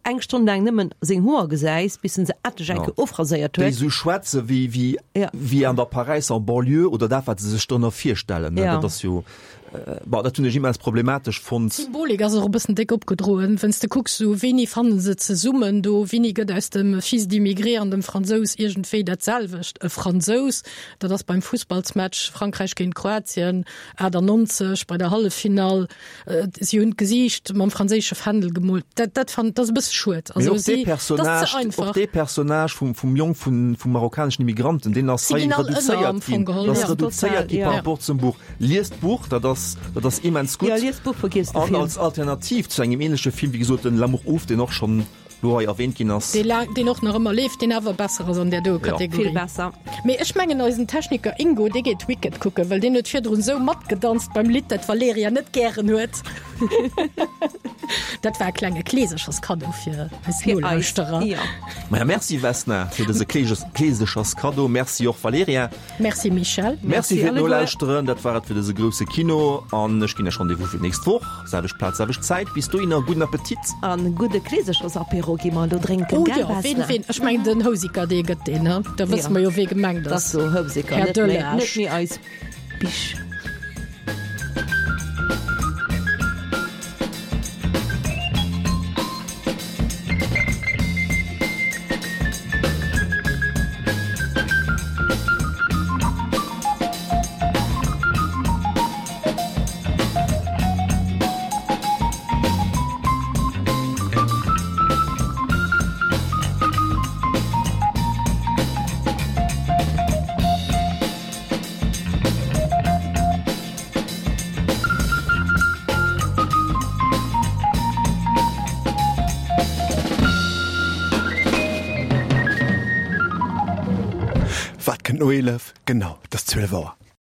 eng Stonn laang nëmmen seng Hoer gesäis, bis en se endlech eng Kéier ofraséiert Déi huet. esou schwätze wéi, wéi, wéi an der Paräisser Banlieue oder dat, wat se sech drënner virstellen, ne. Ja. Dat ass jo, bon, dat hunn ech immens problematesch fonnt. D'Symbolik ass och e bëssen déck opgedroen, wann s de kucks, sou wéini fanne se zesummen do, wéini gëtt aus dem Fils d'immigré an dem Fransous iergendwéi dat selwecht, e Fransous. Dat ass beim Fussballsmatch Frankräich géint Kroatien achtannonzeg bei der Halleffinall. Si hunn d'Gesiicht mam franséische Fändel gemoolt. Dat, dat fand, dat ass e bësse schued. Mee Also och dee si, dat ass ze Personnage, och einfach. dee Personnage vum, vum Jong vun, vum marokkaneschen Immigranten, deen ass Si hei ginn all ënner reduzéiert am Fong ginn. geholl, Dat ass ja. reduzéiert Total, gi ja. par rapport zum Buch. Liest d'Buch, dat ass, dat ass immens gutt. Ja, liest d'Buch, vergiesst de An Film. als Alternativ zu engem ähnleche Film, wéi gesot, den L'amour ouf, deen och schonn lo hei erwähnt ginn ass. Dee laang, deen och nach ëmmer leeft, deen awer besser ass an där doe Ja. Kategorie. Vill besser. Mee ech mengen eisen Techniker Ingo, dee geet Wicked kucken, well deen huet virdrun esou matgedanzt beim Lidd, dat d'Valerija net gären huet. Dat war e klenge Kleesecherskaddo fir eis Fir eis, Nolauschterer. jo. Maja, merci Vesna fir dëse Kleesecherskaddo. Merci och Valerija. Merci Michel. Merci fir alleguer. d'Nolauschteren. Dat war et fir dëse grousse Kino an ech ginn Iech Rendez-vous fir d'nächst Woch. Selwecht Plaz, selwecht Zäit. Bis dohinner, gudden Appetit. An gudde Kleesechersapéro gi mer elo drénken, Oh gell jo, ween, Vesna? ween, ech mengen den Houseker, dee gëtt deen, ne? Da wësse Ja. mer jo, wee gemengt Dat ass. ass so Houseker, Här net méi, Delage. net méi eis Bisch. Wat kënnt no eelef? Genau, et ass zwielef Auer.